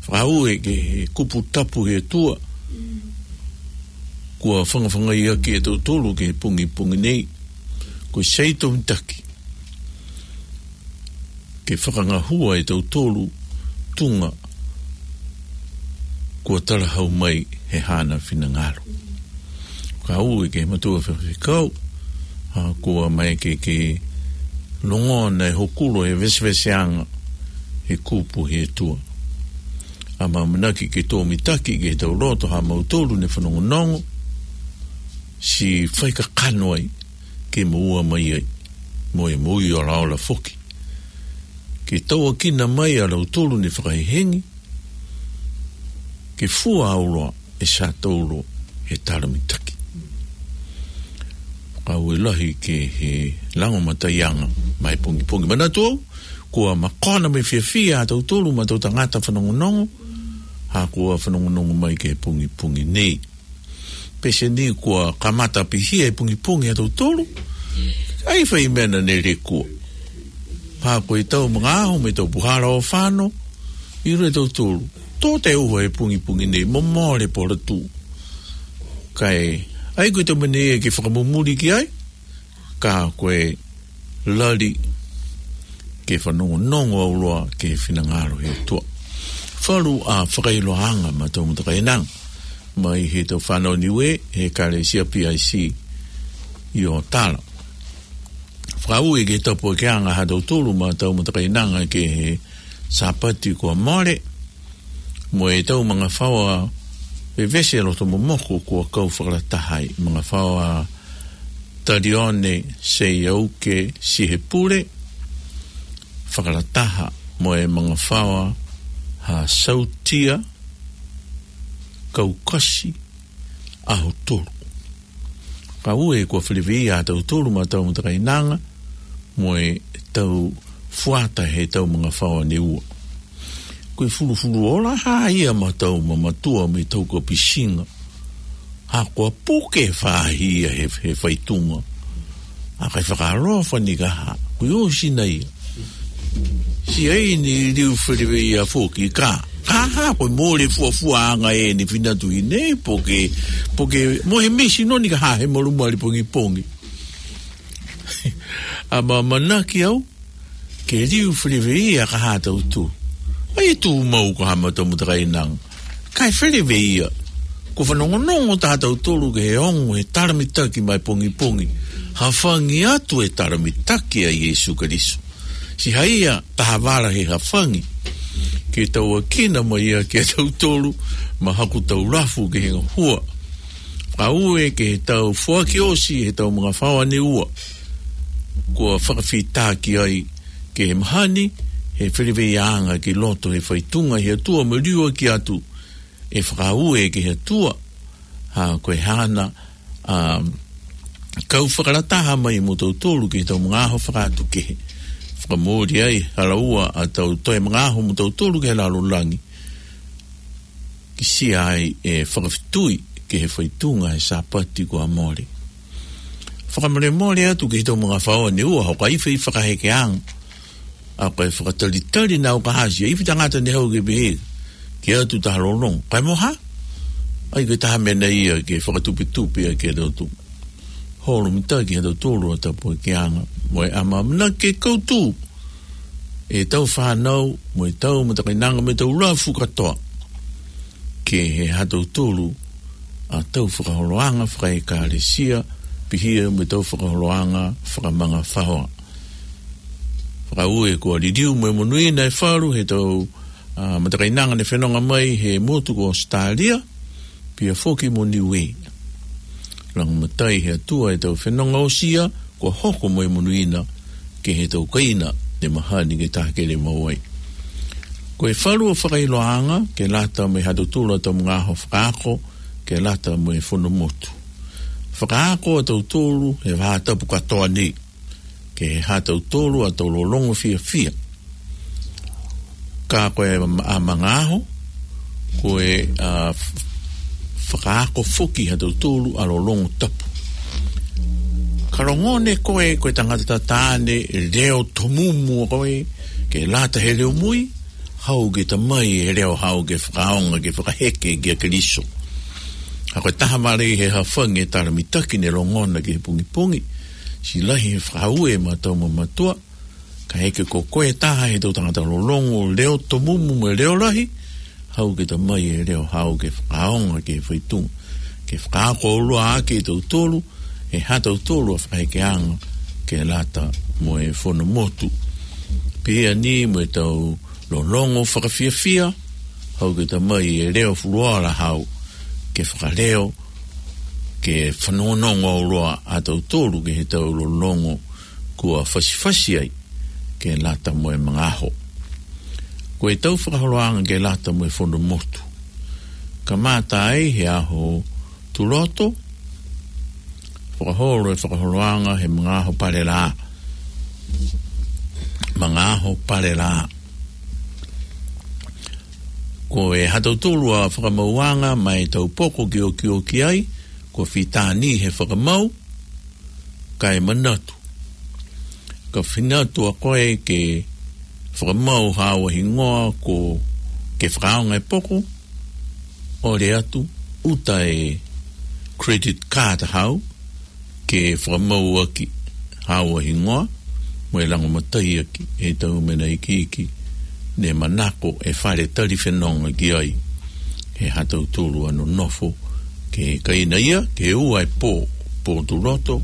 Fakaaue ki he kupu tapu ʻa e ʻOtua kuo fangafangaiʻaki ʻa tautolu ki he pongipongi nei. Ko e saito mitaki ke fakangahua ʻa tautolu tuʻunga kuo talahau mai ʻe haʻana finangalo. Fakaaue ki he mātuʻa faifekau, ʻa ia kuo maʻu ke, ke longoaʻa ʻa e hokulo ʻo e veseveseʻanga he kupu ʻa e ʻOtua. ʻAmanaki ke tō mitaki ki he tau loto ha mautolu ne fanongonongo, siʻi fai kakano ai ke moʻua mai ai, mo e moʻui ʻo laola foki. Ke tauʻatāina mai ʻa lautolu ne fakahehengi, ke fua auloa ʻe Satauro he tala mitaki. Fakaaue lahi ki he langomataiʻanga mai pongipongi. Manatu au, kuo makona mo e fiefia ʻa tautolu mo e tau tangata fanongonongo, ʻa ia kuo fanongonongo mai ki he pongipongi nei. Pehē ni kuo kamata pihia e pongipongi ʻa tautolu. ʻAi fai meʻa naʻa ne lekua. Pea ko e tau magaaho mo e tau puhala ʻo fano, ʻilo ʻe tautolu, tō te uha e pongipongi nei, mo mole polotu. Kae, ʻai ko e tau meʻa nei ke fakamumuli ki ai, ka ko e lali ke fanongonongo auloa ki he finangalo ʻo e ʻOtua. Falu ʻa e fakaʻiloʻanga maʻa e tau matakainanga mai he tau fānau Niue, he Ekalesia P I C ʻi ʻOtala. Fakaaue ki he tāpuakiʻanga ha tautolu maʻa e tau matakainanga ki he Sāpate kuo mole, mo e tau magafaoa vevesi ʻa loto momoko kuo kau fakalataha ai, magafaoa Talione Seiauke Sihepule, fakalataha mo e magafaoa ha Sautia Kaukasi ʻAhotolu. Fakaaue kuo feleveia ʻa tautolu maʻa e tau matakainanga mo e tau fuata he tau magafaoa Niue. Ko e fulufuluola hā ia maʻa e tau mamatua mo e tau kapisinga. ʻA ia kuo puke faʻahi ia he, he faʻahinga. ʻA ia kae fakaalofa ni ka hā, kuo ʻosi nai ia. Siʻi ʻai ni liu feleveia foki ka. Ka hā, ko e mole fuafuaʻanga ʻeni finatu ʻi he nei, pe ko e, pe ko e, mo e misi noni ka hā he malu mali pongipongi. ʻAmanaki au, ke liu feleveia ka hā tautolu. ʻAi tumau ka hā maʻa e tau matakainanga. Kae feleveia. Kuo fanongonongo taha tautolu ki he ongo he tala mitaki mai pongipongi. Hafangina atu e tala mitaki ʻa Sīsū Kalaisi. Siʻi hā ia taha vala he hafangina. Ke tauʻatāina mai ia ki he tautolu, maʻa haku tau lafu ki he ngahua. Fakaaue ki he tau foaki ʻosi he tau magafaoa Niue. Kuo fakafeʻiloaki ai ki he mahani, he feleveiaʻanga ki loto he faʻahinga ʻi he ʻOtua mo e liuaki atu, ʻe fakaaue ki he ʻOtua, ʻa ia ko e haʻana, ʻa, kau fakalataha mai mo tautolu ki he tau magaaho fakaʻatukehe. Fakamole ai, hala ua ʻa e tau toe magaaho mo tautolu ki he lalo langi. Kiʻi siʻi ʻai e fakafetui ki he faʻahinga he Sāpate kuo mole. Fakamolemole atu ki he tau magafaoa Niue, ʻoku ʻi ai e fakahekeʻanga. ʻA ia ko e fakatalitali naʻa ku ʻasi, ʻa e ifi tangata ne haʻu ke pehē, ke ʻatu taha lolongo. Kae mo hā? ʻAi ko e taha meʻa ia ke fakatupetupe ʻa e ke lotu. Holo mitaki ha tautolu ʻa e tāpuakiʻanga. Mo e ʻamanaki ke kau tū ʻa e tau fānau, mo e tau matakainanga, mo e tau lafu kātoa. Ke hē ha tautolu ʻa e tau fakaholoʻanga fakaʻekalesia, pihia mo e tau fakaholoʻanga fakamagafaoa. Fakaaue kuo liliu mo e monūʻia e falu he tau, ʻa, matakainanga ne fenonga mai he motu ko ʻAositalia, pea foki mo Niue. Lagomatai he ʻOtua e tau fenonga ʻosi ia, kuo hoko mo e monūʻia ki he tau kaina ne mahani ke takele maʻu ai. Ko e falu ʻo e fakaʻiloʻanga, ke lata mo e ha tautolu ʻa e tau magaaho fakaako, ke lata mo e fono motu. Fakaako ʻa tautolu he vahaʻa tapu kātoa ni, ke hē ha tautolu ʻa e tau lolongo fiefia. Ka ko e ma-, ʻa magaaho, ko e, ʻa, f-, fakaako foki ha tautolu ʻa e lolongo tapu. Ka longone koe ko e tangata tataane, leo tomumu koe, ke lata he leo mui, hau ke ta mai e leo hau ke fakaonga, ke fakaheke kia Keliso. Ka ko e taha mālie he hafange tala mitaki ne longona ki he pungipungi, siʻi lahi he fakaaue ʻa e matua mo e matua, kae kehe ko koe taha he tau tangata lolongo, leo tomumu mo e leo lahi, hau ke ta mai e leo hau ke fakaonga ke faitunga, ke fakaako ʻoua ʻa kitautolu, ʻe ha tautolu ʻa fakahekeanga ke lata mo e fono motu. Pea ni mo e tau lolongo fakafiefia, hau ke ta mai e leo fuluola hau, ke fakaleo, ke fanongonongo ʻoua ʻa tautolu ke he tau lolongo kuo fasifasi ai, ke lata mo e mangaaho. Ko e tau fakaholoanga ke lata mo e fono motu. Kamata ai he ʻaho Tuloto, fakaholo e fakaholoanga he mangaaho Palelā. Mangaaho Palelā. Ko e ha tautolu ʻa fakamauanga mai tau poko ke okioki ai, ko fitani he fakamau, kae manatu. Ka finatu ʻa koe ke fakamau hau ʻa hingoa ko ke fakaonga e poko, ʻole atu, ʻuta e credit card hau, ke fakamau ʻaki hau ʻa hingoa, mo e lango matai ʻaki e tau mena ikiiki, ne manako e fale tali fenonga ki ai, he ha tautolu ʻa nonofo, ke kaina ia, ke ua e pō, pō Tuloto,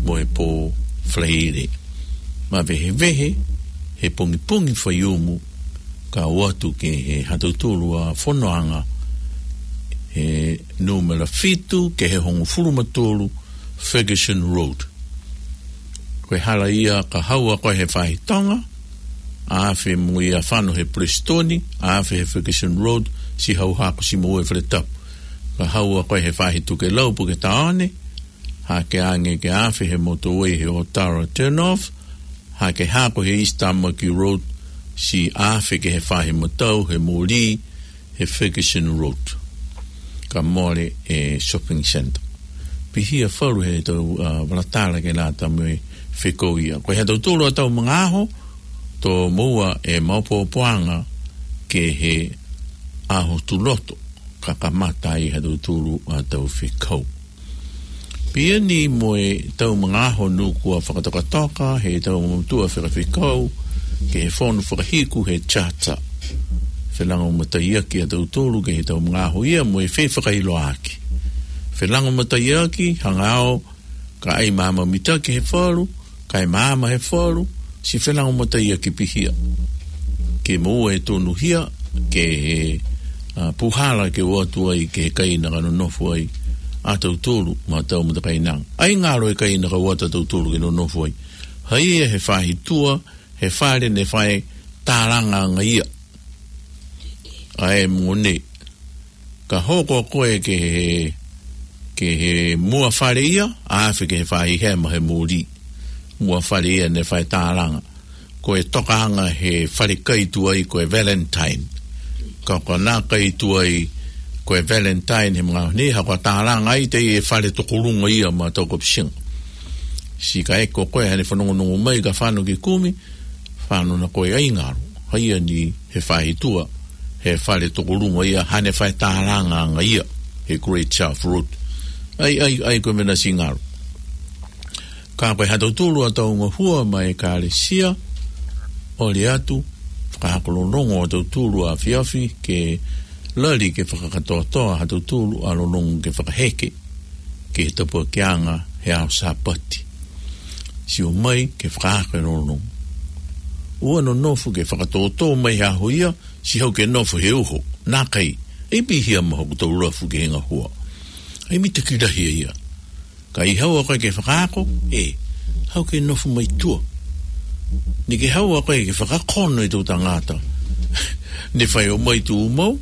mo e pō Falaile. Mavehevehe, he pongipongi Faiumu, ka ʻoatu ke he ha tautolu ʻa fonoanga, he nūmela fitu, ke he hongofulu ma tolu, Ferguson Road. Ko e hala ia ka hau ʻa koe he Faahi Tonga, ʻa afe mo ia fano he Prestoni, ʻa afe he Ferguson Road, siʻi hau hako siʻi mo e Faletapu. Ka hau ʻa koe he Faahi Tukelau puke taone, hake ange ke afe he motorway he Otara turn off, hake hako he East Tamaki Road, siʻi afe ke he Faahi Matau he moli, he Ferguson Road. Ka mole e shopping centre. Pihia falu he tau, ʻa, valatala ke lata mo e fekau ia. Ko e ha tautolu ʻa tau mangaaho, to moua e maopoopoanga ke he ʻaho Tuloto, ka kamata ai ha tautolu ʻa tau fekau. Pea ni mo e tau mangaaho nukua fakatokatoka, he tau mamotua fekafekau, ke he fono fakahiku he charter. Felango mataiaki ʻa tautolu ke he tau mangaaho ia mo e fefakailoaki. Felango mataiaki, hanga ʻo, ka ʻai maama mitaki he falu, kae maama he falu, siʻi felango mataiaki pihia. Ke moua e tonuhia, ke he, ʻa, puhala ke ʻoatu ai, ke he kaina ka nonofo ai, ʻa tautolu, ma tau matakaina. ʻAi ngalo e kaina ka ʻoatu ʻa tautolu ke nonofo ai. Haia he Faahi Tua, he fale ne fai tālanga anga ia. ʻA e mone. Ka hoko koe ke he, ke he mua fale ia, ʻa afe ke he Faahi Hema he moli. Mua fale ia ne fai tālanga. Ko e tokaanga he fale kai tuai ko e Valentine. Ka ko na kai tuai ko e Valentine he mangaaho ni, ha ko e tālanga ai te e fale tokolunga ia ma tau kapusinga. Siʻi ka ʻeke koe hane fanongonongo mai ka fano ke kumi, fano na koe ʻai ngalo. Haia ni he Faahi Tua, he fale tokolunga ia, hane fai tālanga anga ia, he Great South Road. ʻAi, ʻai, ʻai ko e mena siʻi ngalo. Ka ko e ha tautolu ʻa tau ngahua ma e Kalesia, ʻole atu, fakahakololongo ʻa tautolu ʻa afiafi, ke lali ke fakakatoatoa ha tautolu ʻa lolongo ke fakaheke, ke he tapuakianga he ʻaho Sāpate. Siʻi ō mai ke fakaako e lolongo. ʻOua nonofo ke fakatōtō mai he ʻaho ia, siʻi hau ke nofo he uho, nakai, ʻe pihia ma hoku tau lafu ke he ngahua. ʻAi mitaki lahi ia. Ka ʻi hau ʻa koe ke fakaako, ʻe, hau ke nofo mai tua. Ni ke hau ʻa koe ke fakakono e tau tangata. Ne fai ʻo mai tu mau,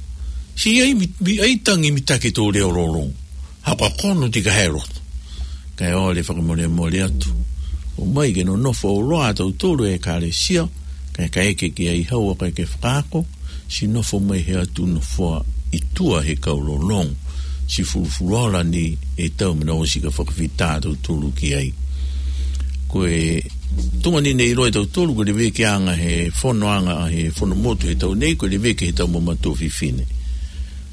siʻi ʻai mi-, mi-, ʻai tangi mitaki tau leo lolongo. Hau ka kono ti ka he loto. Kae ʻole fakamolemole atu. ʻO mai ke nonofo ʻo loa ʻa tautolu e Kalesia, kae ka ʻeke ke ʻai hau ʻa koe ke fakaako, siʻi nofo mai he ʻatu nofoa ʻi tua he kau lolongo. Siʻi fulufuluola ni e tau mena ʻosi ka fakafita ʻa tautolu ki ai. Ko e tuʻunga ni ne ʻiloa ʻe tautolu ko e levekiʻanga he fonoʻanga, he fono motu he taʻu nei, ko e leveki he tau mamatua fefine.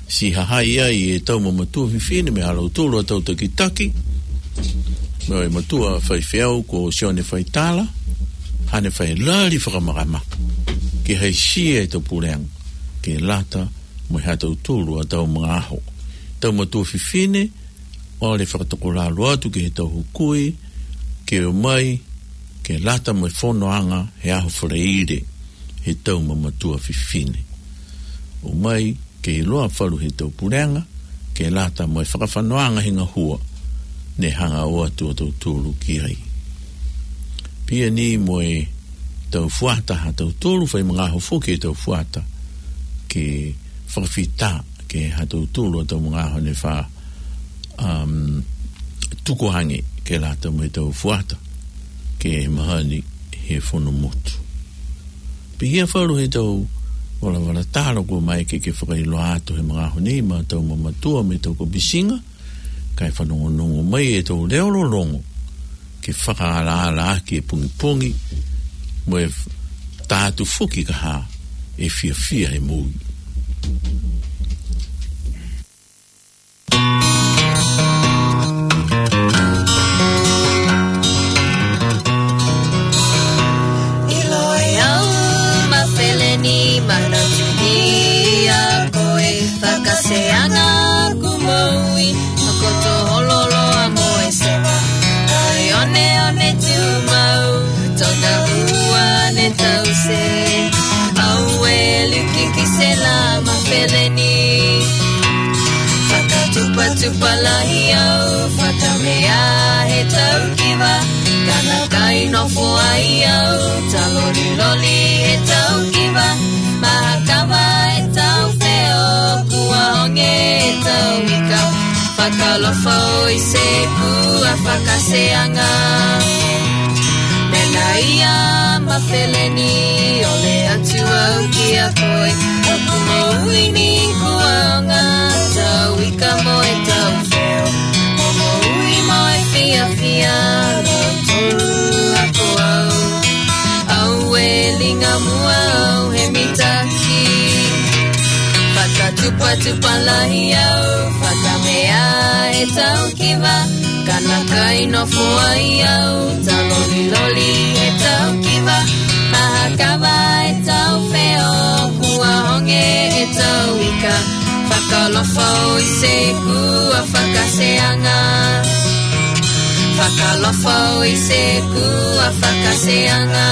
Siʻi hahaʻi ai e tau mamatua fefine mei ha lautolu ʻa e tau takitaki, mei he matua faifeʻau ko Sione Faitala, haʻane fai lali fakamakamaka ke haʻisia e tau puleʻanga, ke lata mo ha tautolu ʻa e tau magaaho. Tau matua fefine, ʻoku ne fakatokolalo atu ki he tau hukui, ke ʻomai, ke lata mo e fonoʻanga he ʻaho Falaile, he tau mamatua fefine. ʻOmai, ke ʻiloa falu he tau puleʻanga, ke lata mo e fakafanoʻanga he ngahua, ne hanga ʻo ʻoatu ʻa tautolu ki ai. Pea ni mo e tau fuata ha tautolu, fai magaaho foki e tau fuata, ke fakafita, ke ha tautolu ʻa tau magaaho ne fa, um, tuku ange ke lata mo e tau fuata, ke mahani he fono motu. Pea hia falu he tau valavala talo ko mai ke ke fakailoa atu he magaaho nei ma tau mamatua mei tau ko pisinga, kae fanongonongo mai e tau leo lolongo, ke fakaalaala ʻaki e pungipungi, mo e f-, tātu foki ka ha, e fiafia he moʻui. ʻIloa e au ma feleni manatu ni a koe fakaseanga ku moʻui, makoto hololoa mo e sema. Ai one one tu mau, tona ua ne tau se. Au e liki ki se la ma feleni. Fakatupatupa lahi au, fakamea he tau kiva. Kana kai nofo ai au, taloliloli he tau kiva. Mahakama e tau feo, kua honge e tau ika. Fakalofa ʻo ʻi se kua fakaseanga. Mena ia ma feleni, ʻo le atu au ki a koe. Aku moʻui ni kua onga, tau ika mo e tau feo. Mo moʻui mo e fiafia, lo tolu ako au. Au e linga mua au he mitaki. Fakatupatupa lahi au, fakamea e tau kiva. Kana kai nofo ai au, taloliloli e tau kiva. Mahakama e tau feo, kua honge e tau ika. Fakalofa ʻo ʻi se kua fakaseanga. Fakalofa ʻo ʻi se kua fakaseanga.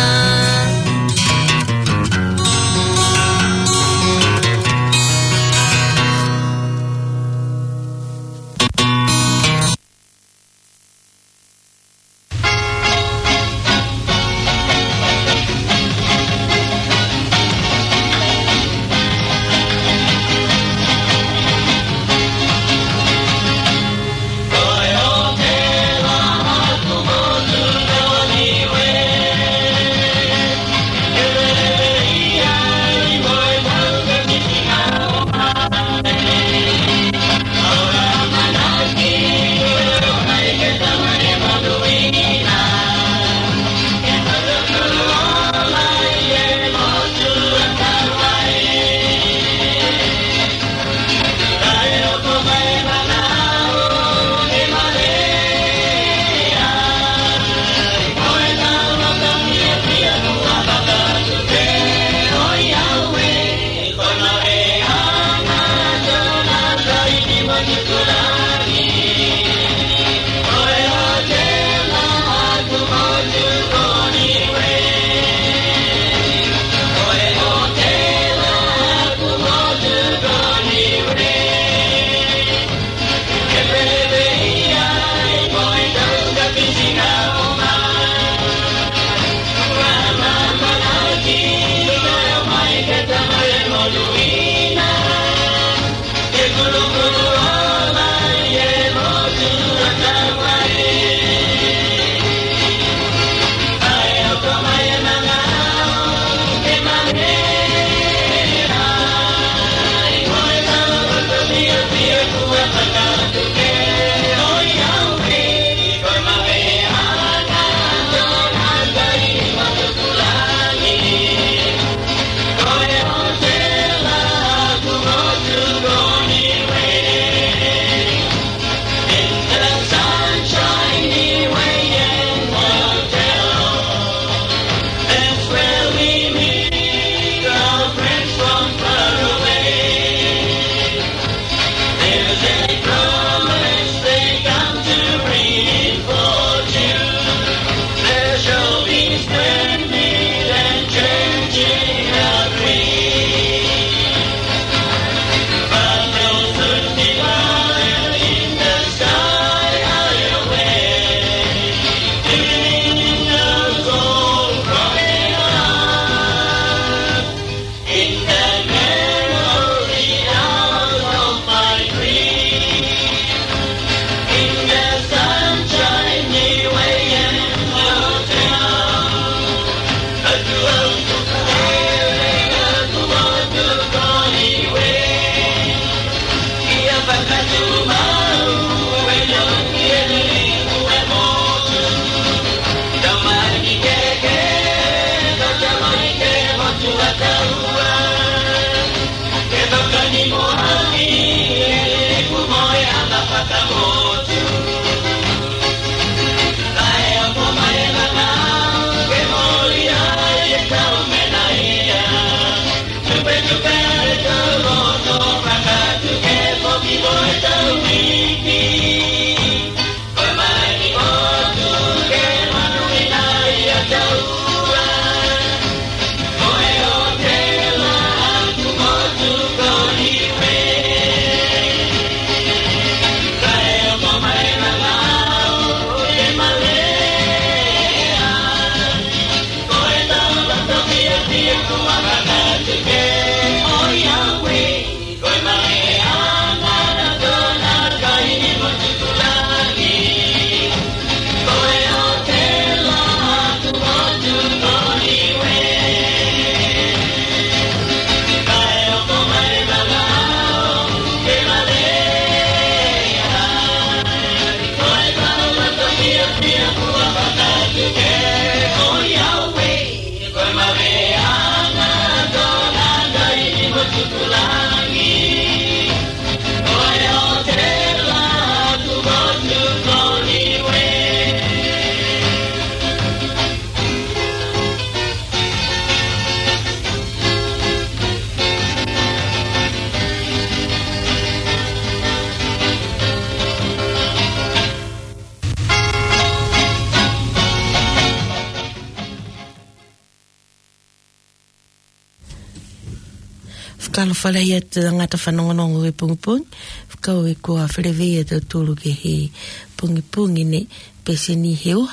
Fakaalofa lahi atu tangata fanongonongo he pongipongi. Fakaaue kuo feleveia tautolu ki he pongipongi ni, pea sio ni he ʻoku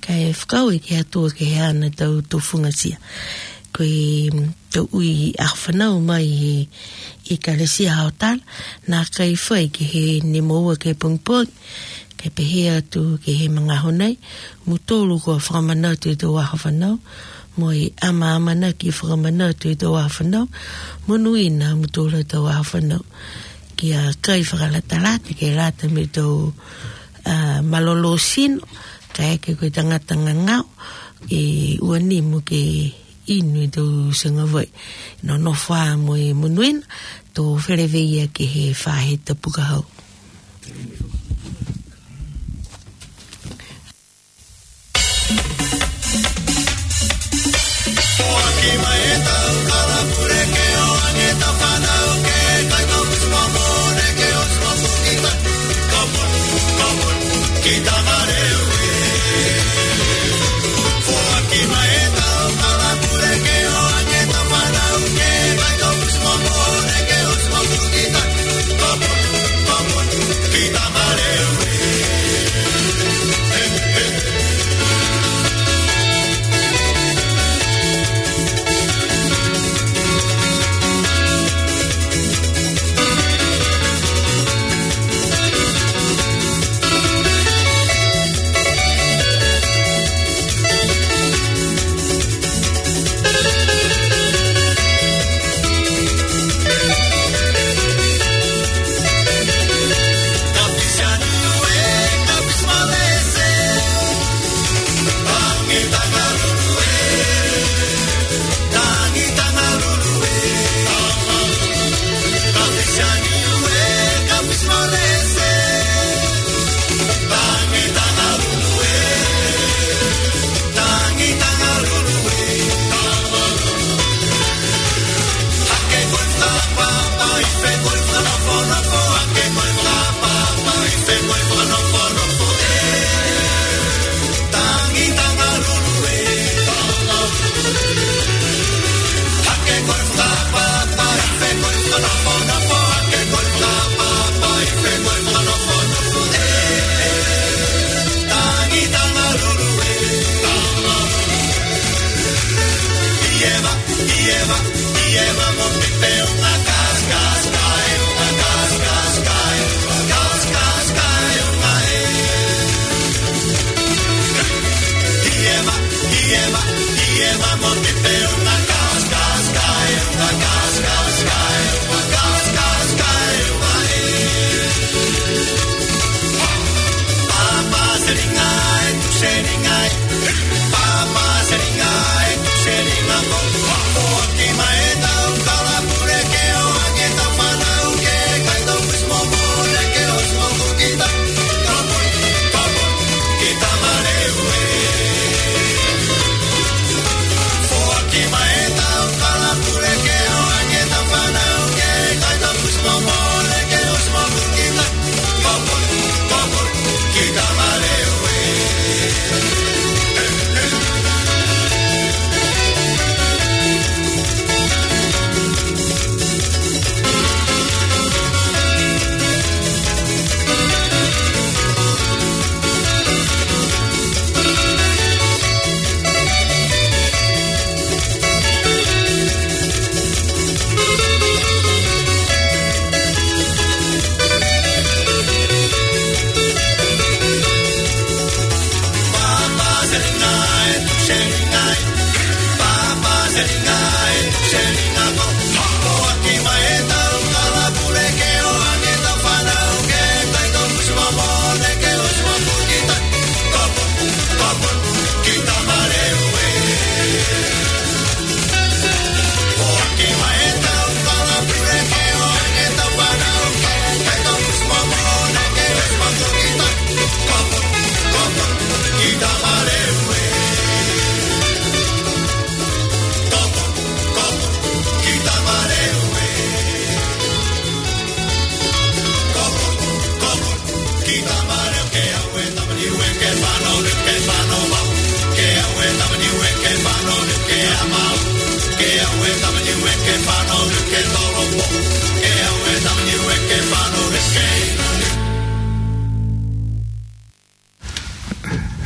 ʻikai fakaaue ki he ʻOtua ki he ʻaho ni ʻetau tufungasia. Ko e, mm, tau ui ʻa e fānau mai he ʻEkalesia Haʻautala, naʻe ʻikai fai ki he nima ua ki he pongipongi, kae pehē atu ki he magaaho ni, mou tolu kuo fakamanatu ʻetau ʻaho fānau, mo e ʻamanaki fakamanatu ʻetau ʻaho fānau, monūʻia ʻa mou tolu ʻetau ʻaho fānau. Kia kai fakalatalata, ke lata mo ʻetau, ā, mālōlō sino, kae ʻikai ko e tangata ngangau, ʻe ua ni mo ke inu ʻetau sengavai. Nonofo ā mo e monūʻia, tau feleveia ki he faʻahitapu ka hau.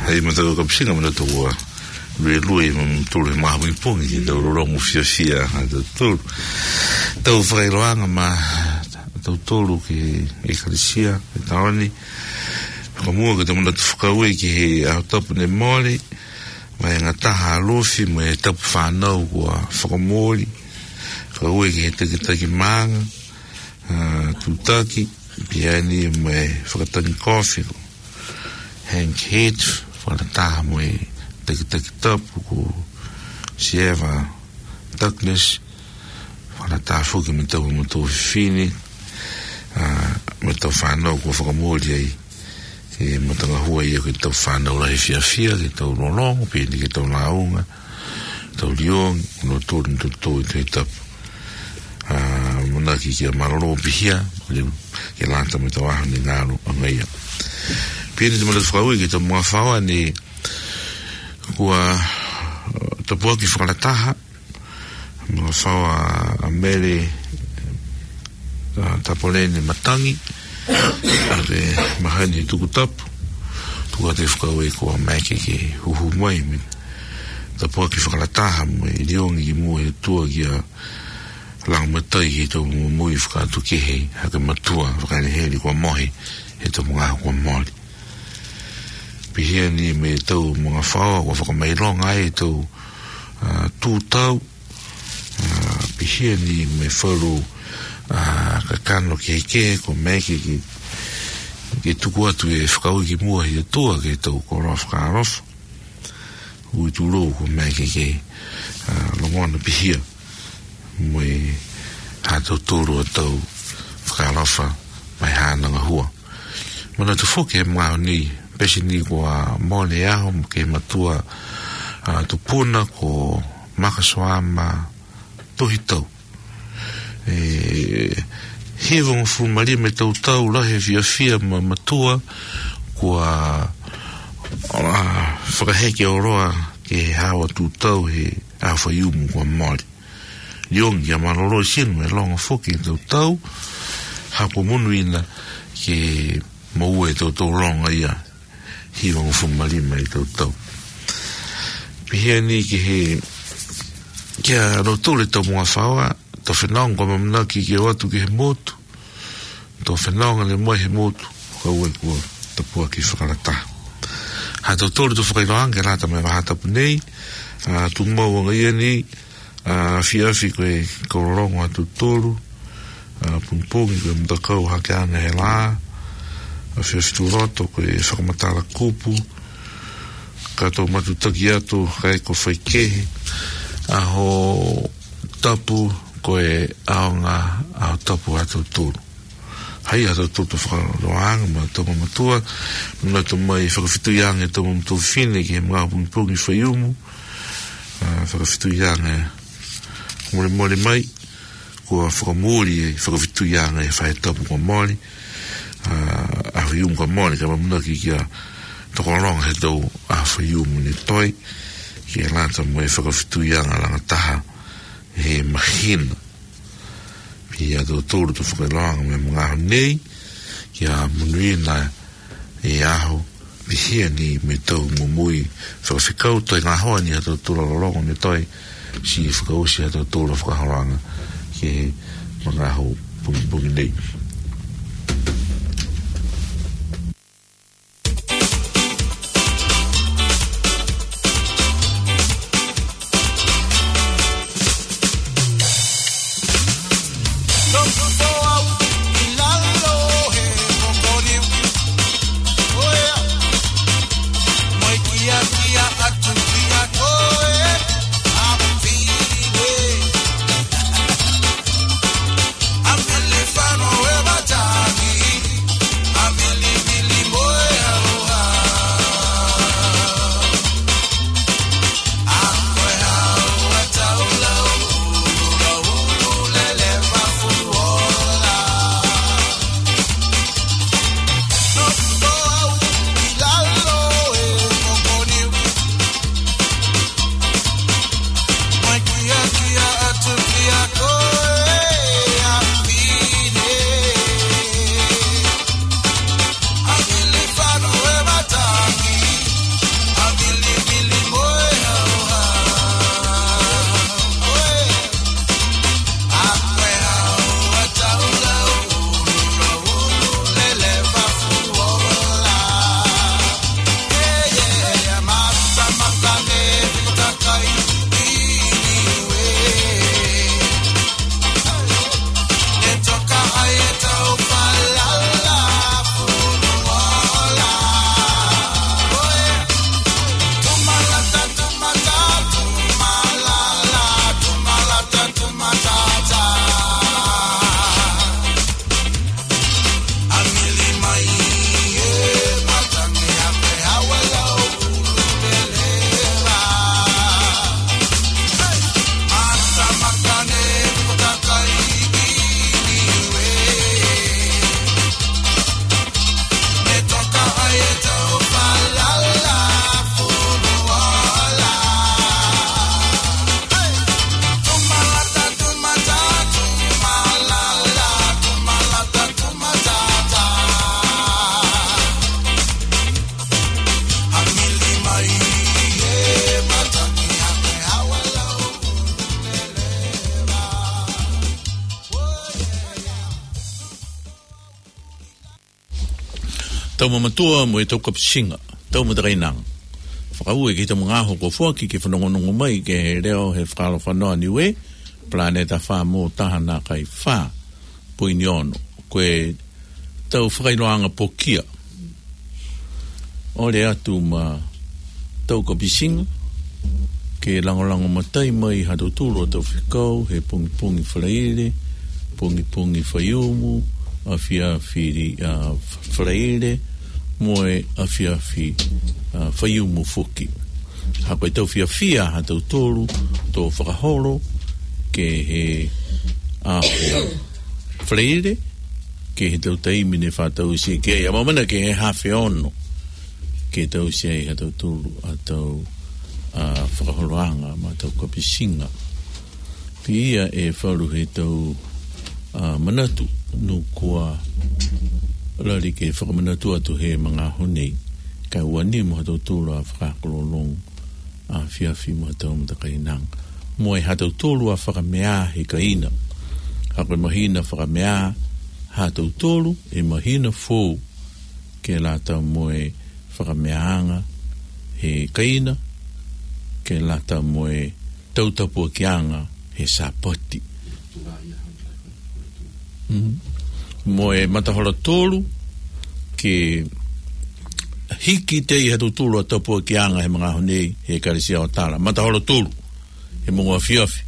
Hei, mātuʻa kapusinga, mātuʻa ua. Lue lue, mātuʻa lue mahuipongi, ke tau lolomo fiafia, ha tautolu. Tau fakailoanga ma, tautolu ki he ʻekalesia, ki he taone. Ka muʻa ke tau manatu fakaaue ki he ʻaho tapu ne mole, mo e ngataha ʻa Lufi, mo e tapu fānau kuo fakamole. Fakaaue ki he takitaki maʻanga, ʻa, Tutaki, pea ni mo e fakatangi kofi ko Hank Head, fakalataha mo e takitaki tapu ko Sieva Douglas, fakalataha foki mo e tau maʻu tuofefine, ʻa, mo e tau fānau kuo fakamole ai, ʻe, mo e tangahua ia ko e tau fānau lahi fiafia, ke tau lolomo, pea ni ke tau lāunga, tau liongi, no tolu, no tolu ʻi he tapu. ʻA, manaki kia mālōlō pihia, ke lata mo e tau ʻaho ne ngalo ʻanga ia. Pea ni te mātuʻa fakaaue ki he tau magafaoa ne kuo, ʻa, tāpuaki fakalataha, magafaoa ʻa Mele, ʻa, Tapoleni Matangi, ʻa e maheni Tukutapu, tuku atu e fakaaue kuo maʻu ke huhu mai mo e tāpuaki fakalataha mo e liongi ki muʻa he ʻOtua kia Langimatai ki he tau moʻui fakaʻatuʻi kehe, hake matua, fakaheliheli kuo mohe, he tau magaaho kuo mole. Pihia ni mo e tau magafaoa, kuo fakamailoga ai e tau, ʻa, tūtau, ʻa, pihia ni mo e falu, ʻa, kakano kehekehe, kuo maʻu ke, ke, ke tuku atu e fakaaue ki muʻa he ʻOtua ki he tau koloa fakaalofa. Ui tulou kuo maʻu ke, ke, ʻa, longona pihia mo e ha tautolu ʻa e tau fakaalofa mai Haʻana Gahua. Manatu foki he magaaho ni, pesi ni kuo mole ʻaho mo e mātuʻa, ʻa, tupuna ko Makasoama Tohitau. ʻE, hivangofulu mā lima e tau tau lahi e fiafia mo e mātuʻa kuo, ʻa, fakaheke ʻo ʻalu ki he haʻa tūtau he ʻaho Faiumu kuo mole. Liongi kia mālōlō, sino e longo foki e tau tau, ha kuo monūʻia ke moʻua e tau tau longo ia, hivangofulu mā lima e tau tau. Pihia ni ki he, kia loto le tau magafaoa, tau fānau kuo ʻamanaki ke ʻoatu ki he motu, tau fānau ngale mai he motu, ka ue kuo tāpuaki fakalataha. Ha tautolu tau fakailoanga ke lata mo e vahaʻa tapu nei, ʻa, tuʻu maʻu ʻanga ia ni, ʻa, afiafi ko e kau lologo ha tautolu, ʻa, pongipongi ko e matakau hake ʻana he lā, afiafi Tuloto ko e fakamatala kupu, ka tau matutaki atu, ka e ko faikehe, ʻaho tapu ko e ʻaonga, ʻaho tapu ha tautolu. Hai ha tautolu tau fakailoanga mo e tau mamatua, manatu mai fakafetuianga e tau mamatua fefine ki he magaaho pongipongi Faiumu, ʻa, fakafetuianga e molemole mai, kuo fakamole e fakafetuianga he faahi tapu kuo mole, ʻa, ʻaho Faiumu kuo mole, ka ʻamanaki kia tokologa he tau ʻaho Faiumu ne toe, ke lata mo e fakafetuianga langa taha he māhina. Pea tautolu tau fakailoanga mo e magaaho nei, kia monūʻia e ʻaho, pihia ni mo e tau moʻui fakafekau, toe ngaohi ha tautolu loloto ne toe, siʻi fakaʻosi ha tautolu fakaholoanga ki he magaaho pongipongi nei. Tau mamatua mo e tau kapusinga, tau matakainanga. Fakaaue ki he tau magaaho kuo foaki ke fanongonongo mai ki he leo he fakalofa noa Niue, Planeta Famo taha nākai fā poini ono. Ko e tau fakailoanga pokia. ʻOle atu ma tau kapusinga, ke langolango matai mai ha tautolu ʻa e tau fekau he pongipongi Falaile, pongipongi Faiumu, afiafi, ʻa, Falaile, mo e afiafi, ʻa, Faiumu foki. Ha ko e tau fiafia ha tautolu, tō fakaholo, ke he, ʻa, Falaile, ke he tau taimi ne fātausi, ke ia mamana ke he hafe ono, ke tausi ai ha tautolu ʻa tau, ʻa, fakaholoanga ma tau kapusinga. Pea ʻe falu he tau, ʻa, manatu, nukua lali ke fakamanatu atu he magaaho nei. Ka ua ni mo ha tautolu ʻa fakakololong, ʻa fiafi mo ha tau matakainanga. Mo e ha tautolu ʻa fakameʻa he kaina. Ha ko e mahina fakameʻa ha tautolu, ʻe mahina fou ke lata mo e fakameʻaʻanga he kaina, ke lata mo e tau tapuakiʻanga he Sāpate. Mm. Mo e matahola tolu, ke hiki tei ha tautolu ʻa tapuakiʻanga he magaaho nei, he ʻEkalesia ʻo Tala. Matahola tolu, he moʻunga afiafi.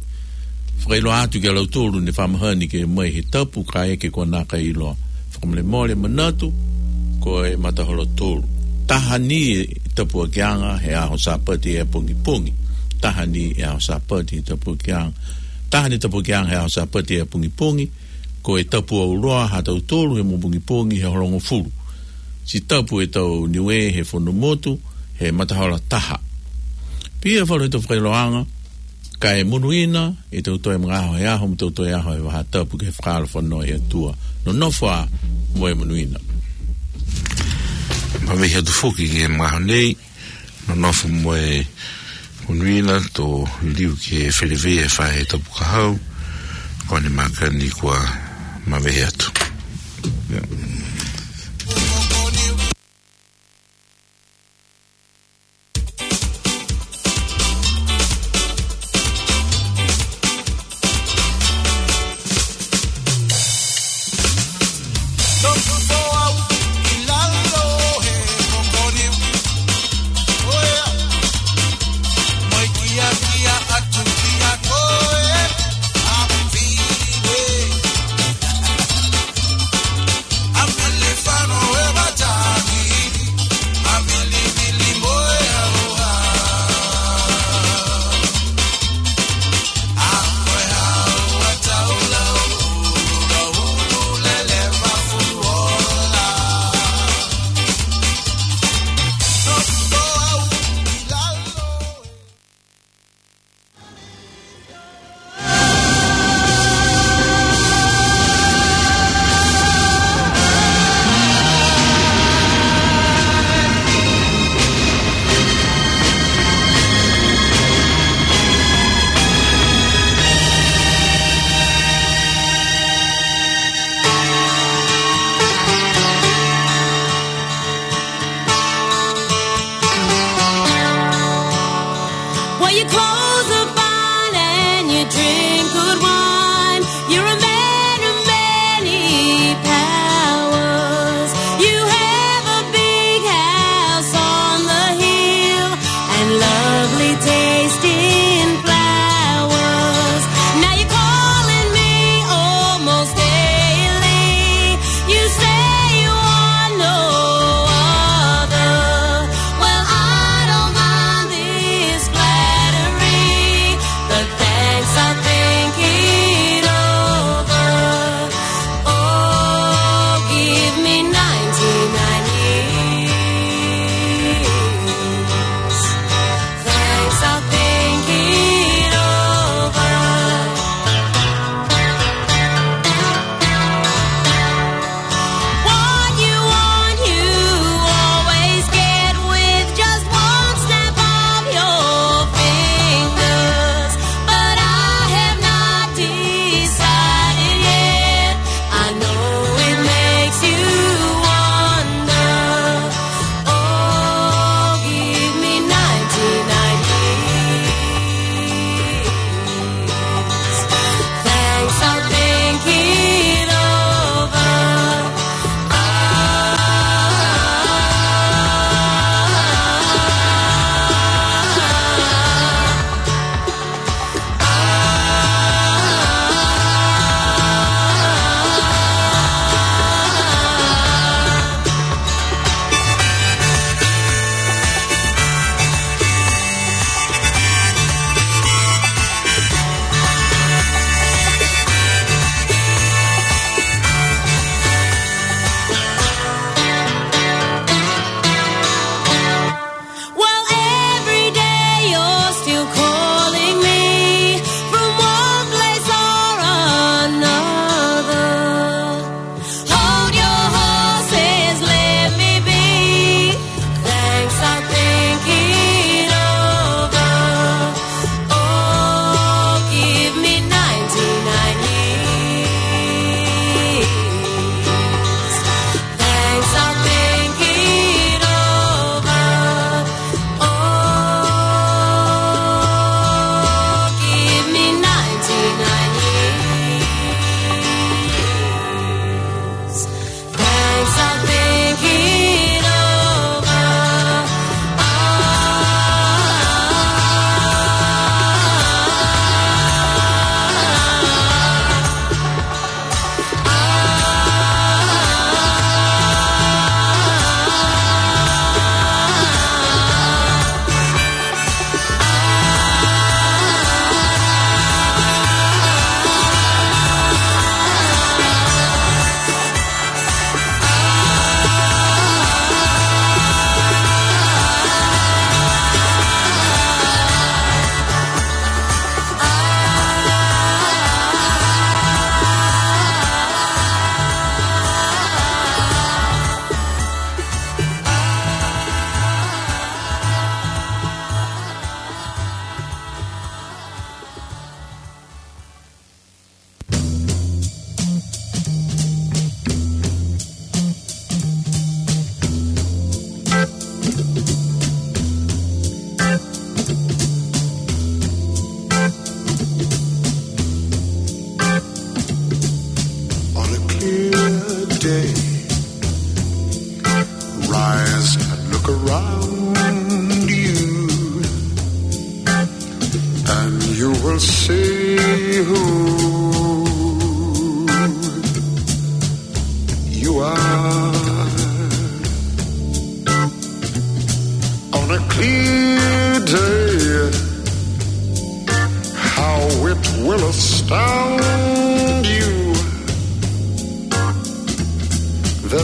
Fakailoa atu ki a lautolu ne fakamahani ke mai he tapu kae ʻikai ke nākai ʻiloa. Fakamolemole manatu, ko e matahola tolu. Taha ni e tapuakiʻanga he ʻaho Sāpate ʻi he pongipongi. Taha ni e ʻaho Sāpate tapuakiʻanga. Taha ni tapuakiʻanga he ʻaho Sāpate ʻi he pongipongi. Ko e tapu ʻauloa ha tautolu he moʻunga pongipongi he hongofulu. Siʻi tapu ʻa e tau Niue he fonumotu, he matahola taha. Pea falu he tau fakailoanga, kae monūʻia ʻetau toe magaaho he ʻaho, mo ʻetau toe ʻaho he vaha tapu ke fakalofa noa ʻi he ʻOtua. Nonofo ā mo e monūʻia. Mavehe atu foki ki he magaaho nei, nonofo mo e monūʻia, tō liliu ki he feleveia he fai he tapu ka hau, ko ʻene mākani kuo mavehe atu.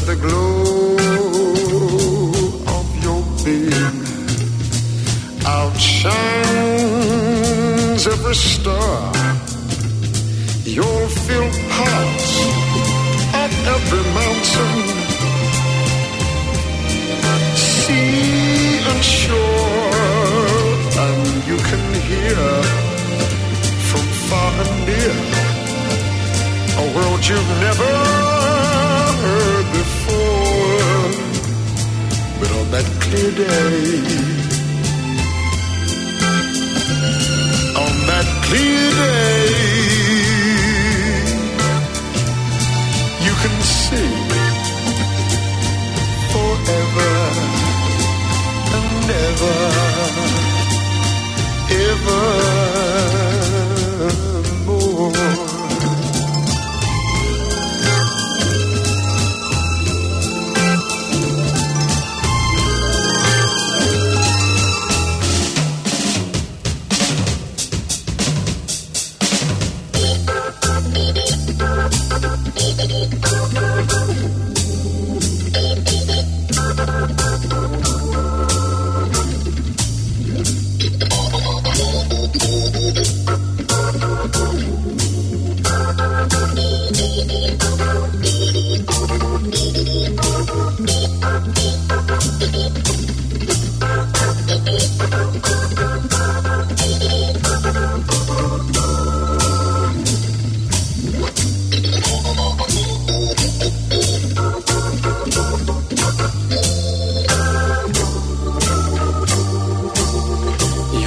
The glow of your being outshines every star. You'll feel parts of every mountain, sea and shore, and you can hear from far and near a world you've never heard before. But on that clear day, on that clear day, you can see forever and ever, evermore.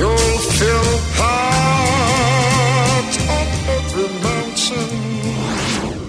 You'll feel part of every mountain.